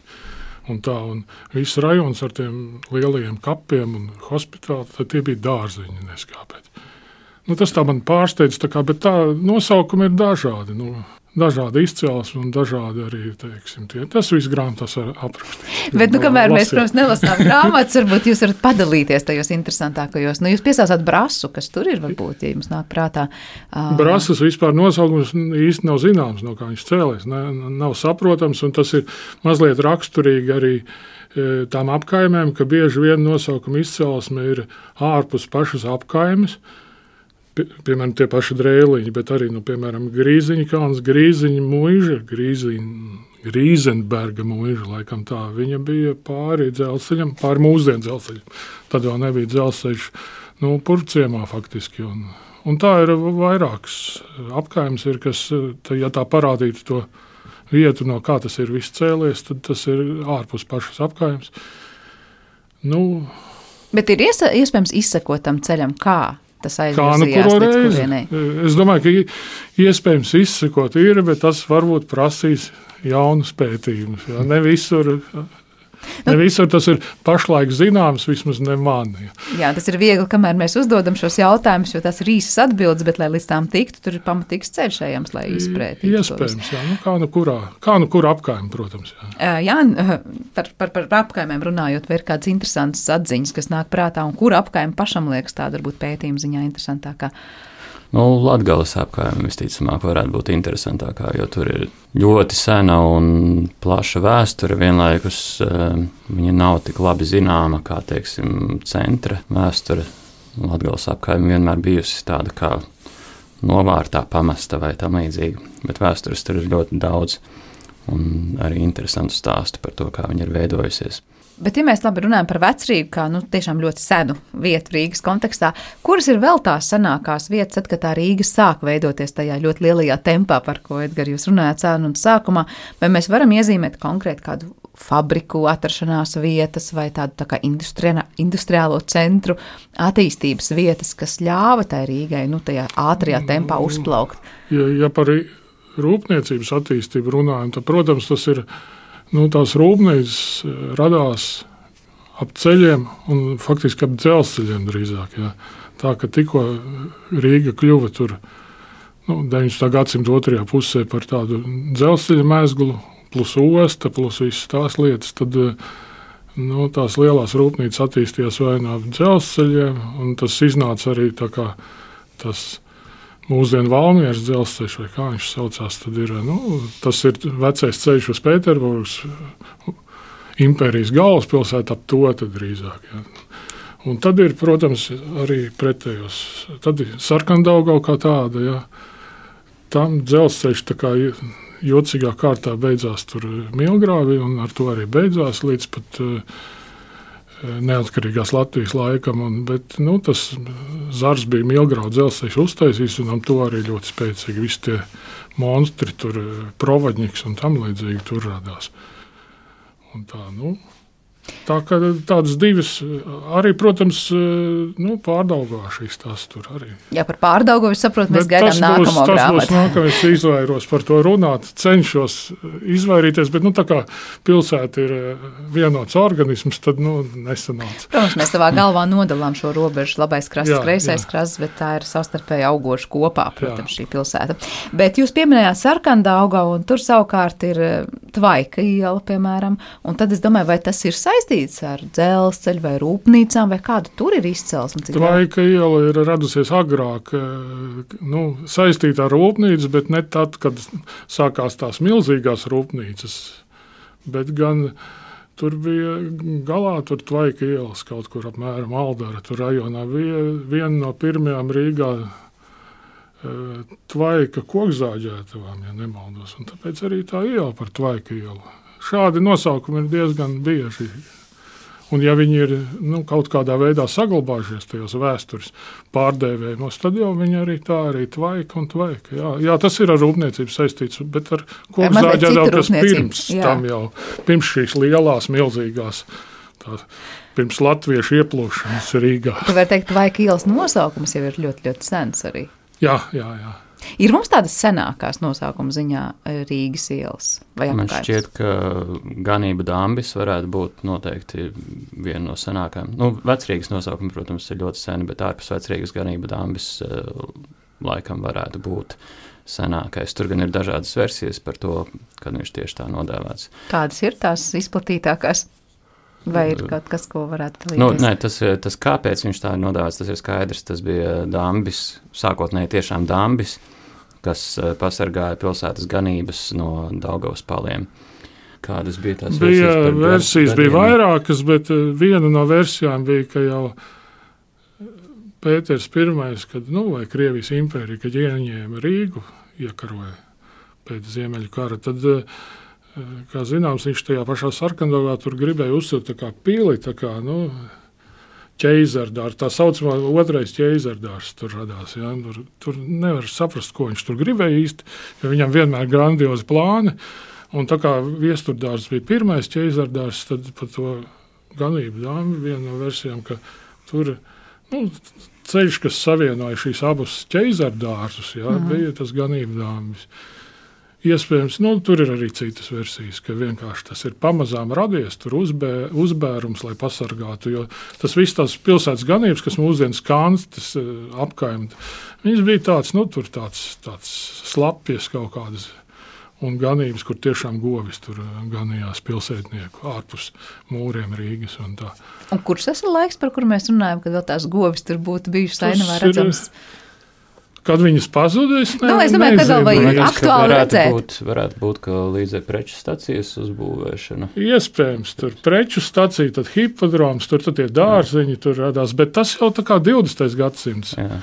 Un tā, un viss rajons ar tiem lielajiem kapiem un hospitāli, tad tie bija dārziņi, neskāpēc. Nu, tas tā man pārsteidz, tā kā, bet tā nosaukumi ir dažādi, nu, dažādi izcelsmi un dažādi arī, teiksim, tie. Tas viss grāmatās var aprakstīt. Bet, nu, kamēr mēs, protams, nelasām grāmatas, varbūt jūs varat padalīties tajos interesantākajos. Nu, jūs piesāsāt Brasu, kas tur ir, varbūt, ja jums nāk prātā. Uh... Brasas vispār nosaukums īsti nav zināms, no kā viņš cēlēs. Ne, nav saprotams, un tas ir mazliet raksturīgi arī tām apkaimēm, ka bieži vien nosaukuma izcelsme ir ārpus pašas apkaimes. Piemēram, tie paši drēliņi, bet arī, nu, piemēram, Grīziņa kalns, Grīziņa muiža, Grīziņa, Grīzenberga muiža, laikam tā, viņa bija pāri dzelzceļam, pāri mūsdienu dzelzceļam. Tad vēl nebija dzelzceļš, nu, Purvciemā faktiski. Un, un tā ir vairākas apkaimes, ir, kas, ja tā parādītu to vietu, no kā tas ir viss cēlies, tad tas ir ārpus pašas apkaimes. Nu, bet ir iesa, iespējams izsekot tam ceļam, kā? Tas Kā nu kuru reizi? Es domāju, ka iespējams izsekot ir, bet tas varbūt prasīs jaunus pētījumus. Ja? Ne visur Ne visur tas ir pašlaik zināms, vismaz ne man. Ja. Jā, tas ir viegli, kamēr mēs uzdodam šos jautājumus, jo tas ir īsas atbildes, bet, lai līdz tām tiktu, tur ir pamatīgs ceļš ejams, lai izprētītu. Iespējams, jā. Nu, kā nu kurā, kā nu kur apkaim, protams. Jā, jā par, par, par apkaimēm runājot, vai ir kādas interesantas atziņas, kas nāk prātā, un kura apkaima pašam liekas tāda varbūt pētījuma ziņā interesantākā? Nu, Latgales apkaime visticamāk varētu būt interesantākā, jo tur ir ļoti sena un plaša vēsture. Vienlaikus uh, viņa nav tik labi zināma kā, teiksim, centra vēsture. Latgales apkaime vienmēr bijusi tāda kā novārtā pamesta vai tam līdzīga, bet vēstures tur ir ļoti daudz un arī interesantu stāstu par to, kā viņa ir veidojusies. Bet, ja mēs labi runājam par Vecrīgu, kā nu, tiešām ļoti senu vietu Rīgas kontekstā, kuras ir vēl tās senākās vietas, tad, kad tā Rīga sāk veidoties tajā ļoti lielajā tempā, par ko, Edgar, jūs runājāt sarunas sākumā, vai mēs varam iezīmēt konkrēti kādu fabriku atrašanās vietas vai tādu tā kā industriālo centru attīstības vietas, kas ļāva tai Rīgai nu, tajā ātrajā tempā uzplaukt? Ja, ja par rūpniecības attīstību runājam, tad, protams, tas ir Nu, tās rūpnīcas radās ap ceļiem un faktiski ap dzelzceļiem drīzāk. Jā. Tā, ka tikko Rīga kļuva tur nu, deviņdesmitā gadsimta otrajā pusē par tādu dzelzceļa mezglu, plus osta, plus visas tās lietas, tad nu, tās lielās rūpnīcas attīstījās vai no dzelzceļiem, un tas iznāca arī tā kā tas mūsdienu Valmieras dzelzceļš, vai kā viņš saucās, tad ir, nu, tas ir vecais ceļš uz Pēterburgas, impērijas galvaspilsētu ap to tad drīzāk. Ja. Un tad ir, protams, arī pretējos. Tad ir Sarkandaugava kā tāda, ja. Tam dzelzceļš tā kā jocīgā kārtā beidzās tur Milgrāvi, un ar to arī beidzās līdz pat neatkarīgās Latvijas laikam, un, bet nu, tas Zars bija Milgrāva dzelzceļš uztaisījis, un am to arī ļoti spēcīgi. Visi tie monstri, tur Provaņiks un tam līdzīgi tur radās. Un tā, nu, tā kā tādas divas, arī, protams, nu, Pārdaugavā šīs tās tur arī. Jā, par Pārdaugavu es saprotu, mēs gaidām nākamo grāmatu. Tas būs nākamais, izvairos par to runāt, cenšos izvairīties, bet, nu, tā kā pilsēta ir vienots organisms, tad, nu, nesanāca. Protams, mēs savā galvā nodalām šo robežu labais krasts, jā, kreisais jā. krasts, bet tā ir savstarpēji augoša kopā, protams, jā. Šī pilsēta. Bet jūs pieminējāt Sarkandaugavu, un tur savukārt ir Tvaika iela, piemēram, un tad es domāju, vai tas ir saistīts ar dzelzceļu vai rūpnīcām, vai kāda tur ir izcelsme? Tvaika iela ir radusies agrāk, nu, saistīta ar rūpnīcu, bet ne tad, kad sākās tās milzīgās rūpnīcas, bet gan tur bija galā, tur Tvaika ielas kaut kur apmēram Aldara, tur rajonā bija viena no pirmajām Rīgā Tvaika kokzāģētavām, ja nemaldos, un tāpēc arī tā iela par Tvaika ielu. Šādi nosaukumi ir diezgan bieži. Un ja viņi ir nu, kaut kādā veidā saglabājušies tajos vēstures pārdēvējumos, tad jau viņi arī tā arī Tvaika un Tvaika. Jā, jā, tas ir ar rūpniecību saistīts, bet ar kokzāģētavām, kas pirms jā. tam jau, pirms šīs lielās, milzīgās, tā, pirms latviešu ieplūšanas Rīgā. Tu vari teikt, Tvaika ielas nosaukums jau ir ļoti, ļoti sens arī. Jā, jā, jā. Ir mums tādas senākās nosaukuma ziņā Rīgas ielas vai apkārt? Man šķiet, ka ganība Dambis varētu būt noteikti viena no senākām. Nu, Vecrīgas nosaukumi, protams, ir ļoti seni, bet ārpus Vecrīgas ganība Dambis laikam varētu būt senākais. Tur gan ir dažādas versijas par to, kad viņš tieši tā nodēvēts. Kādas ir tās izplatītākās? Vai ir kaut kas, ko varētu līdz? Nu, nē, tas, tas kāpēc viņš tā ir nodēvēts, tas ir skaidrs. Tas bija Dambis, sākotnēji tiešām Dambis, kas pasargāja pilsētas ganības no Daugavas paliem. Kādas bija tās bija versijas? Par versijas gadiem? Bija vairākas, bet viena no versijām bija, ka jau Pēters Pirmais, kad, nu, vai Krievijas impērija, kad ieņēma Rīgu, iekaroja pēc Ziemeļu kara, tad kā zināms, viņš tajā pašā Sarkandaugavā tur gribēja uzsilt tā kā pili, tā kā, nu, ķeizardārs, tā saucamā otrais ķeizardārs tur radās, ja, tur, tur nevar saprast, ko viņš tur gribēja īsti, jo viņam vienmēr grandiozi plāni, un tā kā Viesturdārs bija pirmais ķeizardārs, tad par to ganību dāmi viena no versijām, ka tur, nu, ceļš, kas savienoja šīs abas ķeizardārsus, ja, mm. bija tas ganību dāmis. Iespējams, nu, tur ir arī citas versijas, ka vienkārši tas ir pamazām radies, tur uzbē, uzbērums, lai pasargātu. Jo tas viss tās pilsētas ganības, kas mūsdienas Kānstas apkaimta, viņas bija tāds, nu, tur tāds, tāds slapjas kaut kādas un ganības, kur tiešām govis tur ganījās pilsētnieku ārpus mūriem Rīgas un tā. Un kurš tas ir laiks, par kuru mēs runājam, kad vēl tās govis tur būtu bijušas ainavā redzams? Kad viņas pazudīs, ne, nu, es domāju, ka vēl vajag aktuāli redzēt. Būt, varētu būt, ka līdz ar preču stacijas uzbūvēšanu. Iespējams, tur preču stacija, tad hipodroms, tur tad tie dārziņi tur radās, bet tas jau tā kā divdesmitais gadsimts. Jā.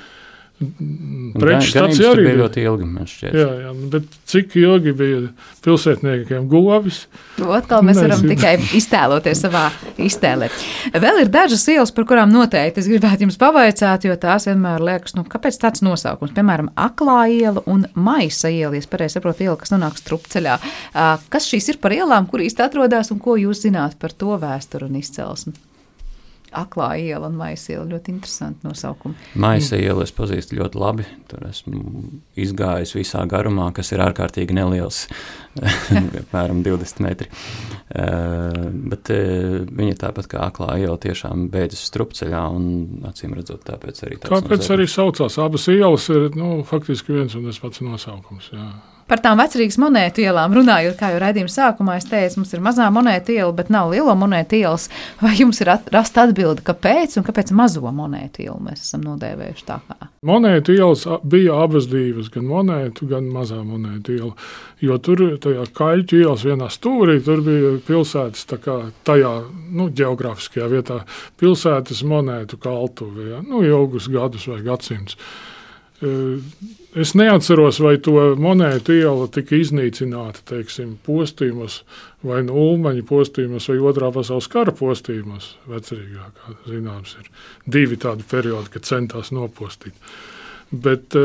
Preču stacija arī bija ļoti ilgi, man šķiet. Jā, jā, bet cik ilgi bija pilsētniekiem govis? Atkal mēs varam Nezinu. tikai iztēloties savā iztēlē. Vēl ir dažas ielas, par kurām noteikti es gribētu jums pavaicāt, jo tās vienmēr liekas, nu, kāpēc tāds nosaukums? Piemēram, Aklā iela un Maisa iela, ja es pareizi saprotu, iela, kas nonāk Strupceļā. Kas šīs ir par ielām, kur īsti atrodas un ko jūs zināt par to vēsturu un izcelsmi? Aklā iela un Maisa iela, ļoti interesanti nosaukumi. Maisa iela es pazīstu ļoti labi, tur esmu izgājis visā garumā, kas ir ārkārtīgi neliels, apmēram divdesmit metri. Uh, bet uh, viņa tāpat kā Aklā iela tiešām beidzas Strupceļā un acīm redzot tāpēc arī tāds Kāpēc nosaukums. Arī saucās? Abas ielas ir, nu, faktiski viens un tas pats nosaukums, jā. Par tām vecrīgas monētu ielām runājot, kā jau raidījuma sākumā es teicu, mums ir mazā monētu iela, bet nav lielo monētu ielas. Vai jums ir rast atbildi, kāpēc un kāpēc mazo monētu ielu mēs esam nodēvējuši tā kā? Monētu ielas bija abas divas, gan monētu, gan mazā monētu iela. Jo tur tajā Kaļķu ielas vienā stūrī, tur bija pilsētas tā kā tajā, nu, ģeogrāfiskajā vietā, pilsētas monētu kaltuve, ja? Nu, ilgus gadus vai gadsimts. Es neatceros, vai to monētu iela tika iznīcināta, teiksim, postījumos, vai no Ulmaņa postījumos, vai otrā pasaules kara postījumos. Vecrīgā, kā zināms, ir divi tādi periodi, kad centās nopostīt. Bet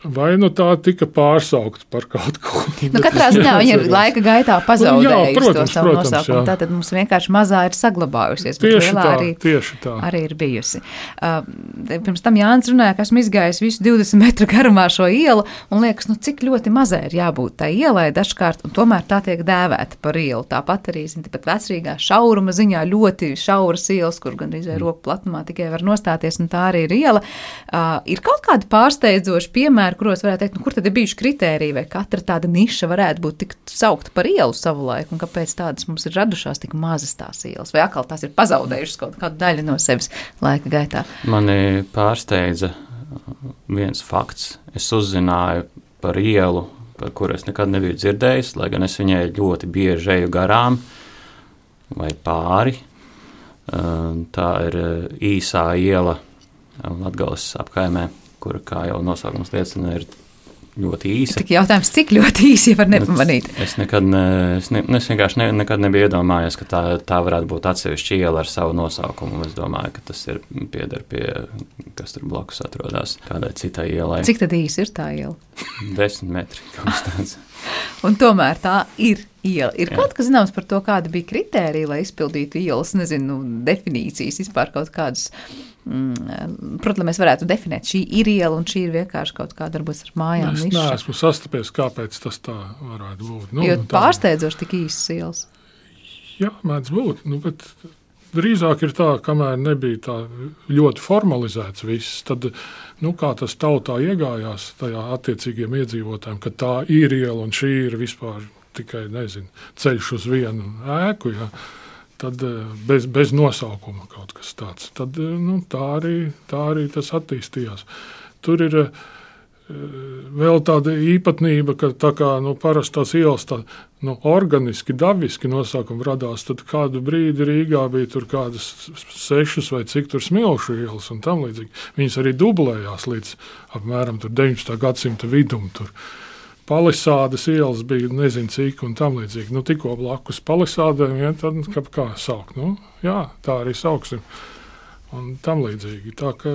vai nu tā tika pārsaukta par kaut ko? Nu, katrā ziņā viņa ir laika gaitā pazaudējusi nu, jā, protams, to savu protams, nosaukumu. Jā. Tātad mums vienkārši mazā ir saglabājusies. Tieši tā, arī, tieši tā. Arī ir bijusi. Uh, pirms tam Jānis runāja, ka esmu izgājis visu divdesmit metru garumā šo ielu un liekas, nu cik ļoti mazai ir jābūt tai ielai dažkārt, un tomēr tā tiek dēvēta par ielu. Tāpat arī, zin, pat vecrīgā šauruma ziņā ļoti šauras ielas, kur gandrīz vai roku platumā tikai var nostāties, un tā arī ir iela. Uh, ir kaut kādi pārsteidzoši piemēri, kuros varētu teikt, nu, kur tad ir bijuši kritēriji, vai katra tāda niša varētu būt tik saukta par ielu savu laiku, un kāpēc tādas mums ir radušās tik mazas tās ielas, vai atkal tās ir pazaudējušas kaut kādu daļu no sevis laika gaitā? Mani pārsteidza viens fakts. Es uzzināju par ielu, par kuru es nekad nebiju dzirdējis, lai gan es viņai ļoti bieži eju garām vai pāri. Tā ir īsā iela Latgales apkaimē, kura, kā jau nosaukums liecina, ir ļoti īsa. Tik jautājums, cik ļoti īsi var nepamanīt? Es, nekad ne, es, ne, es vienkārši ne, nekad nebiju iedomājies, ka tā, tā varētu būt atsevišķa iela ar savu nosaukumu. Es domāju, ka tas ir pieder pie, kas tur blakus atrodas, kādai citai ielai. Cik tad īsi ir tā iela? Desmit metri, kaut kas tāds. Un tomēr tā ir iela. Ir Jā. kaut kas zināms par to, kāda bija kritērija, lai izpildītu ielas, nezinu, definīcijas, vispār kaut kādas, mm, protams, mēs varētu definēt, šī ir iela un šī ir vienkārši kaut kāda, varbūt ar mājām Es niša. neesmu sastapies, kāpēc tas tā varētu būt. Nu, Jo tā- pārsteidzoši tik īsas ielas. Jā, mēdz būt, nu, bet drīzāk ir tā, kamēr nebija tā ļoti formalizēts viss, tad, nu, kā tas tautā iegājās tajā attiecīgiem iedzīvotājiem, ka tā ir iela un šī ir vispār tikai, nezinu, ceļš uz vienu ēku, ja, tad bez, bez nosaukuma kaut kas tāds. Tad, nu, tā arī, tā arī tas attīstījās. Tur ir vēl tāda īpatnība, ka tā kā, nu, parastās ielas tā, nu, organiski, dabiski nosaukumi radās, tad kādu brīdi Rīgā bija tur kādas sešas vai cik tur smilšu ielas un tam līdzīgi. Viņas arī dublējās līdz apmēram tur deviņpadsmitā gadsimta vidum. Tur Palisādes ielas bija nezinu cik un tam līdzīgi. Nu, tikko blakus palisādēm, ja, tad kā, kā saukt? Nu, jā, tā arī sauksim. Un tam līdzīgi. Tā, ka,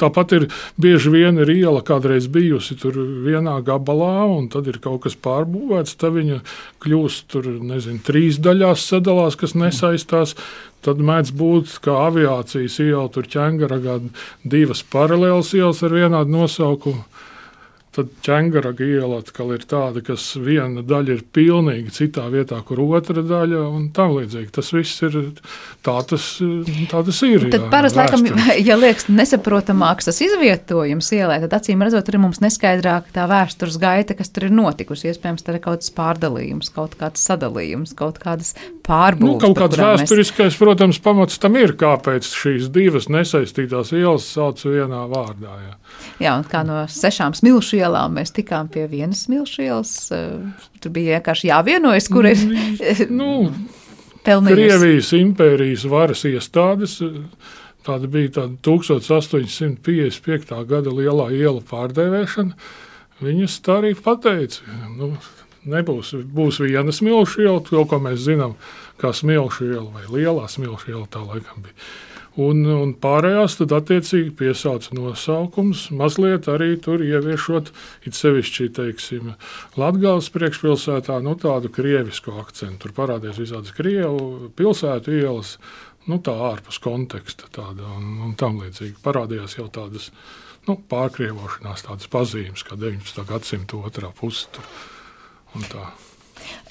tāpat ir bieži vien ir iela kādreiz bijusi tur vienā gabalā, un tad ir kaut kas pārbūvēts, tad viņa kļūst tur, nezinu, trīs daļās sadalās, kas nesaistās. Tad mēdz būt, kā aviācijas iela, tur Ķengaragā divas paralēlas ielas ar vienādu nosaukumu. tad ķengaraga iela atkal ir tāda, kas viena daļa ir pilnīgi citā vietā, kur otra daļa un tam līdzīgi. Tas viss ir tā, tas, tā tas ir. Tad jā, parasti, laikam, vēsturiski. ja liekas nesaprotamāks tas izvietojums ielē, tad acīm redzot, tur ir mums neskaidrāk tā vēstures gaita, kas tur ir notikusi. Iespējams, tur ir kaut kāds pārdalījums, kaut kāds sadalījums, kaut kādas pārbūves. Nu, kaut kāds vēsturiskais, mēs... protams, pamats tam ir, kāpēc šīs divas nesaistītās ielas sauc vienā vārdā. Jā, jā un kā no sešām smilšu ielām mēs tikām pie vienas smilšu ielas, tur bija vienkārši jāvienojas, kur ir nu, pelnījusi. Krievijas impērijas varas iestādes, tāda bija tāda tūkstoš astoņsimt piecdesmit piekta gada lielā iela pārdēvēšana, viņas tā arī pateica, nu, nebūs, būs viena smilšu iela, to, ko mēs zinām, kā smilšu iela vai lielā smilšu iela tā laikam bija. Un, un pārējās tad attiecīgi piesauca nosaukums, mazliet arī tur ieviešot, it sevišķi, teiksim, Latgales priekšpilsētā, nu tādu krievisku akcentu. Tur parādījās visādas krievu pilsētu ielas, nu tā ārpus konteksta tāda un, un tam līdzīgi. Parādījās jau tādas, nu, pārkrievošanās, tādas pazīmes, kā deviņpadsmitā gadsimta otrā puse tur un tā.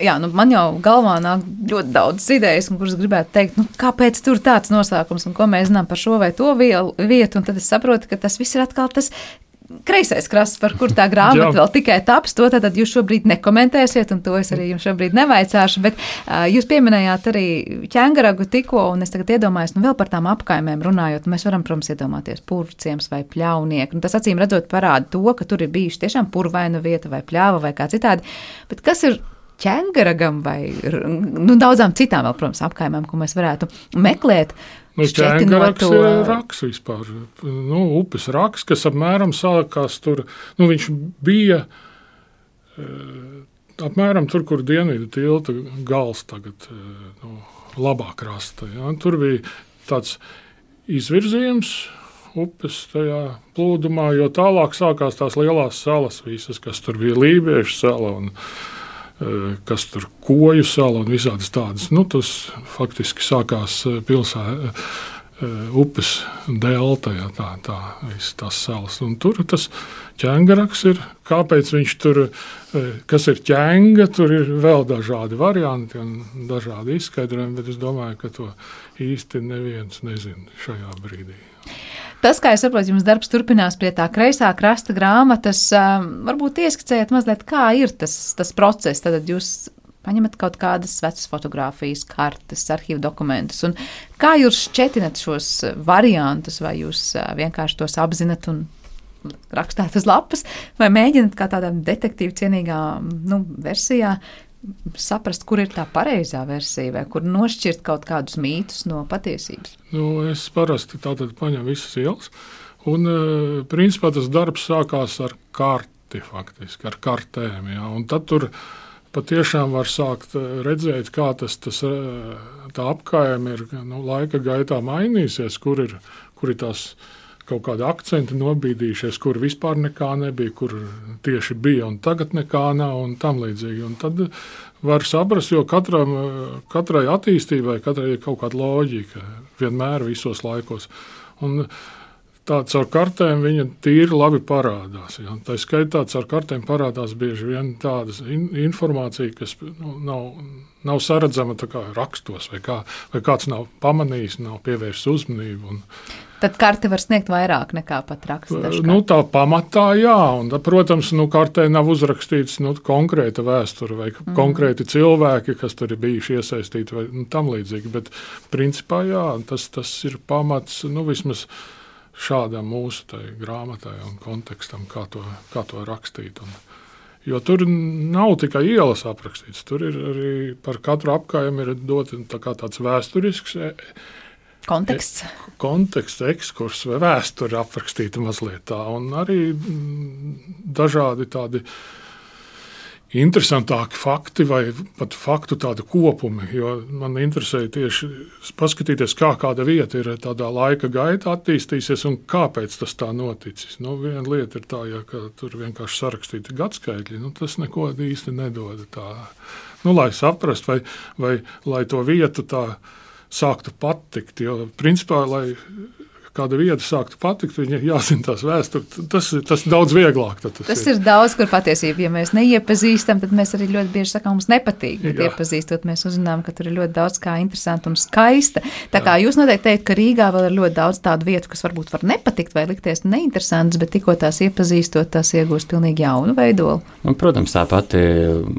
Jā, nu man jau galvā nāk ļoti daudz idejas, kuras gribētu teikt, nu, kāpēc tur tāds nosaukums un ko mēs zinām par šo vai to vielu, vietu, un tad es saprotu, ka tas viss ir atkal tas kreisais krasts, par kur tā grāmata vēl tikai taps, to tad jūs šobrīd nekomentēsiet, un to es arī jums šobrīd nevaicāšu, bet uh, jūs pieminējāt arī ķengaragu tikko, un es tagad iedomājos, nu vēl par tām apkaimēm runājot, mēs varam, protams, iedomāties purvciems vai pļaunieku, un tas acīm redzot parāda to, ka tur ir bijuši tiešām purvaina vieta vai pļāva vai kā citādi, bet kas ir ķengaragam vai nu, daudzām citām vēl, protams, apkaimēm, ko mēs varētu meklēt. Nu, ķengarags to... ir raks vispār. Nu, upes raks, kas apmēram sākās tur, nu, viņš bija e, apmēram tur, kur dienvidu tilta gals tagad, e, nu, labā krasta. Ja? Tur bija tāds izvirzījums upes tajā plūdumā, jo tālāk sākās tās lielās salas visas, kas tur bija Lībiešu sala un kas tur Koju sala un visādas tādas. Nu, tas faktiski sākās pilsē upes delta, ja, tā, tā, visas tās salas. Un tur tas ķengaraks ir, kāpēc viņš tur, kas ir ķenga, tur ir vēl dažādi varianti un dažādi izskaidrojumi, bet es domāju, ka to īsti neviens nezina šajā brīdī. Tas, kā es saprotu, jums darbs turpinās pie tā kreisā krasta grāmatas, varbūt ieskicējat mazliet, kā ir tas, tas process, tad jūs paņemat kaut kādas vecas fotogrāfijas, kartes, arhīvu dokumentus, un kā jūs šķetinat šos variantus, vai jūs vienkārši tos apzinat un rakstāt uz lapas, vai mēģināt kā tādā detektīva cienīgā nu, versijā saprast, kur ir tā pareizā versija, vai kur nošķirt kaut kādus mītus no patiesības? Nu, es parasti tātad paņemu visas ielas, un principā tas darbs sākās ar karti, faktiski, ar kartēm, jā, un tad tur patiešām var sākt redzēt, kā tas, tas tā apkājumi ir nu, laika gaitā mainīsies, kur ir, kur ir tās kaut kādi akcenti nobīdījušies, kur vispār nekā nebija, kur tieši bija un tagad nekā nav un tam līdzīgi. Un tad var saprast, jo katram, katrai attīstībai, katrai ir kaut kāda loģika vienmēr visos laikos. Un tāds ar kartēm viņa tīri labi parādās. Ja. Tā skaitā ar kartēm parādās bieži vien tādas in, informācija, kas nu, nav, nav saredzama tā kā rakstos, vai, kā, vai kāds nav pamanījis, nav pievērsis uzmanību. Un, tad karte var sniegt vairāk nekā pat raksts. Nu, tā pamatā, jā. Un, protams, nu, kartē nav uzrakstīts nu, konkrēta vēsture vai mm. konkrēti cilvēki, kas tur ir bijuši iesaistīti vai nu, tam līdzīgi. Bet principā, jā, tas, tas ir pamats, nu, vismaz šādam mūsu tai grāmatai un kontekstam, kā to, kā to rakstīt. Un, jo tur nav tikai ielas aprakstīts, tur ir arī par katru apkājumu ir doti tā kā tāds vēsturisks konteksts. E, konteksts, ekskurs vai vēsture aprakstīta mazliet tā, un arī dažādi tādi interesantāki fakti vai pat faktu tādu kopumi, jo man interesē tieši paskatīties, kā kāda vieta ir tādā laika gaitā attīstīsies un kāpēc tas tā noticis. Nu, viena lieta ir tā, ja ka tur vienkārši sarakstīti gadskaitļi, nu, tas neko īsti nedod tā, nu, lai saprast vai, vai lai to vietu tā sāktu patikt, jo principā, lai kāda vieta sāktu patikt, viņa jāzina tās vēsturi. Tas, tas ir daudz vieglāk. Tas, tas ir. ir daudz, kur patiesībā, ja mēs neiepazīstam, tad mēs arī ļoti bieži sakām, mums nepatīk. Bet Jā. iepazīstot, mēs uzzinām, ka tur ir ļoti daudz kā interesanta un skaista. Tā kā jūs noteikti teikt, ka Rīgā vēl ir ļoti daudz tādu vietu, kas varbūt var nepatikt vai likties neinteresantas, bet tikko tās iepazīstot, tās iegūst pilnīgi jaunu veidolu. Un, protams, tā pati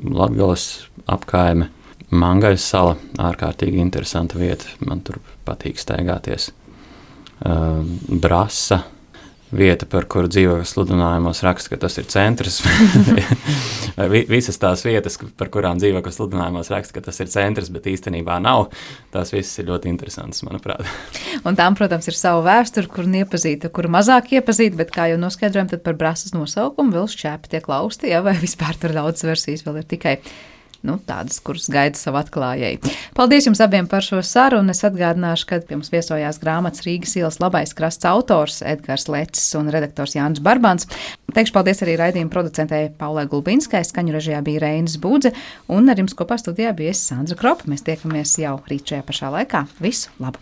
Latgales apkaime. Mangaļas sala, ārkārtīgi interesanta vieta, man tur patīk staigāties. Uh, Brasa, vieta, par kuru dzīvokļu sludinājumos raksta, ka tas ir centrs. Visas tās vietas, par kurām dzīvokļu sludinājumos raksta, ka tas ir centrs, bet īstenībā nav, tās visas ir ļoti interesantas, manuprāt. Un tām, protams, ir savu vēsturi, kur neiepazīta, kur mazāk iepazīta, bet kā jau noskaidrojam, tad par Brasas nosaukumu vēl šķēpi tiek lausti, ja, vai vispār tur daudz versijas vēl ir tikai Nu, tādas, kuras gaida savu atklājēju. Paldies jums abiem par šo sarunu. Es atgādināšu, ka pie mums viesojās grāmatas Rīgas ielas labais krasts autors Edgars Lecis un redaktors Jānis Barbans. Teikšu paldies arī raidījuma producentei Paulai Gulbinskai, skaņu režijā bija Reinis Būdze, un ar jums kopā studijā bija es Sandra Kropa. Mēs tiekamies jau rīt šajā pašā laikā. Visu labu!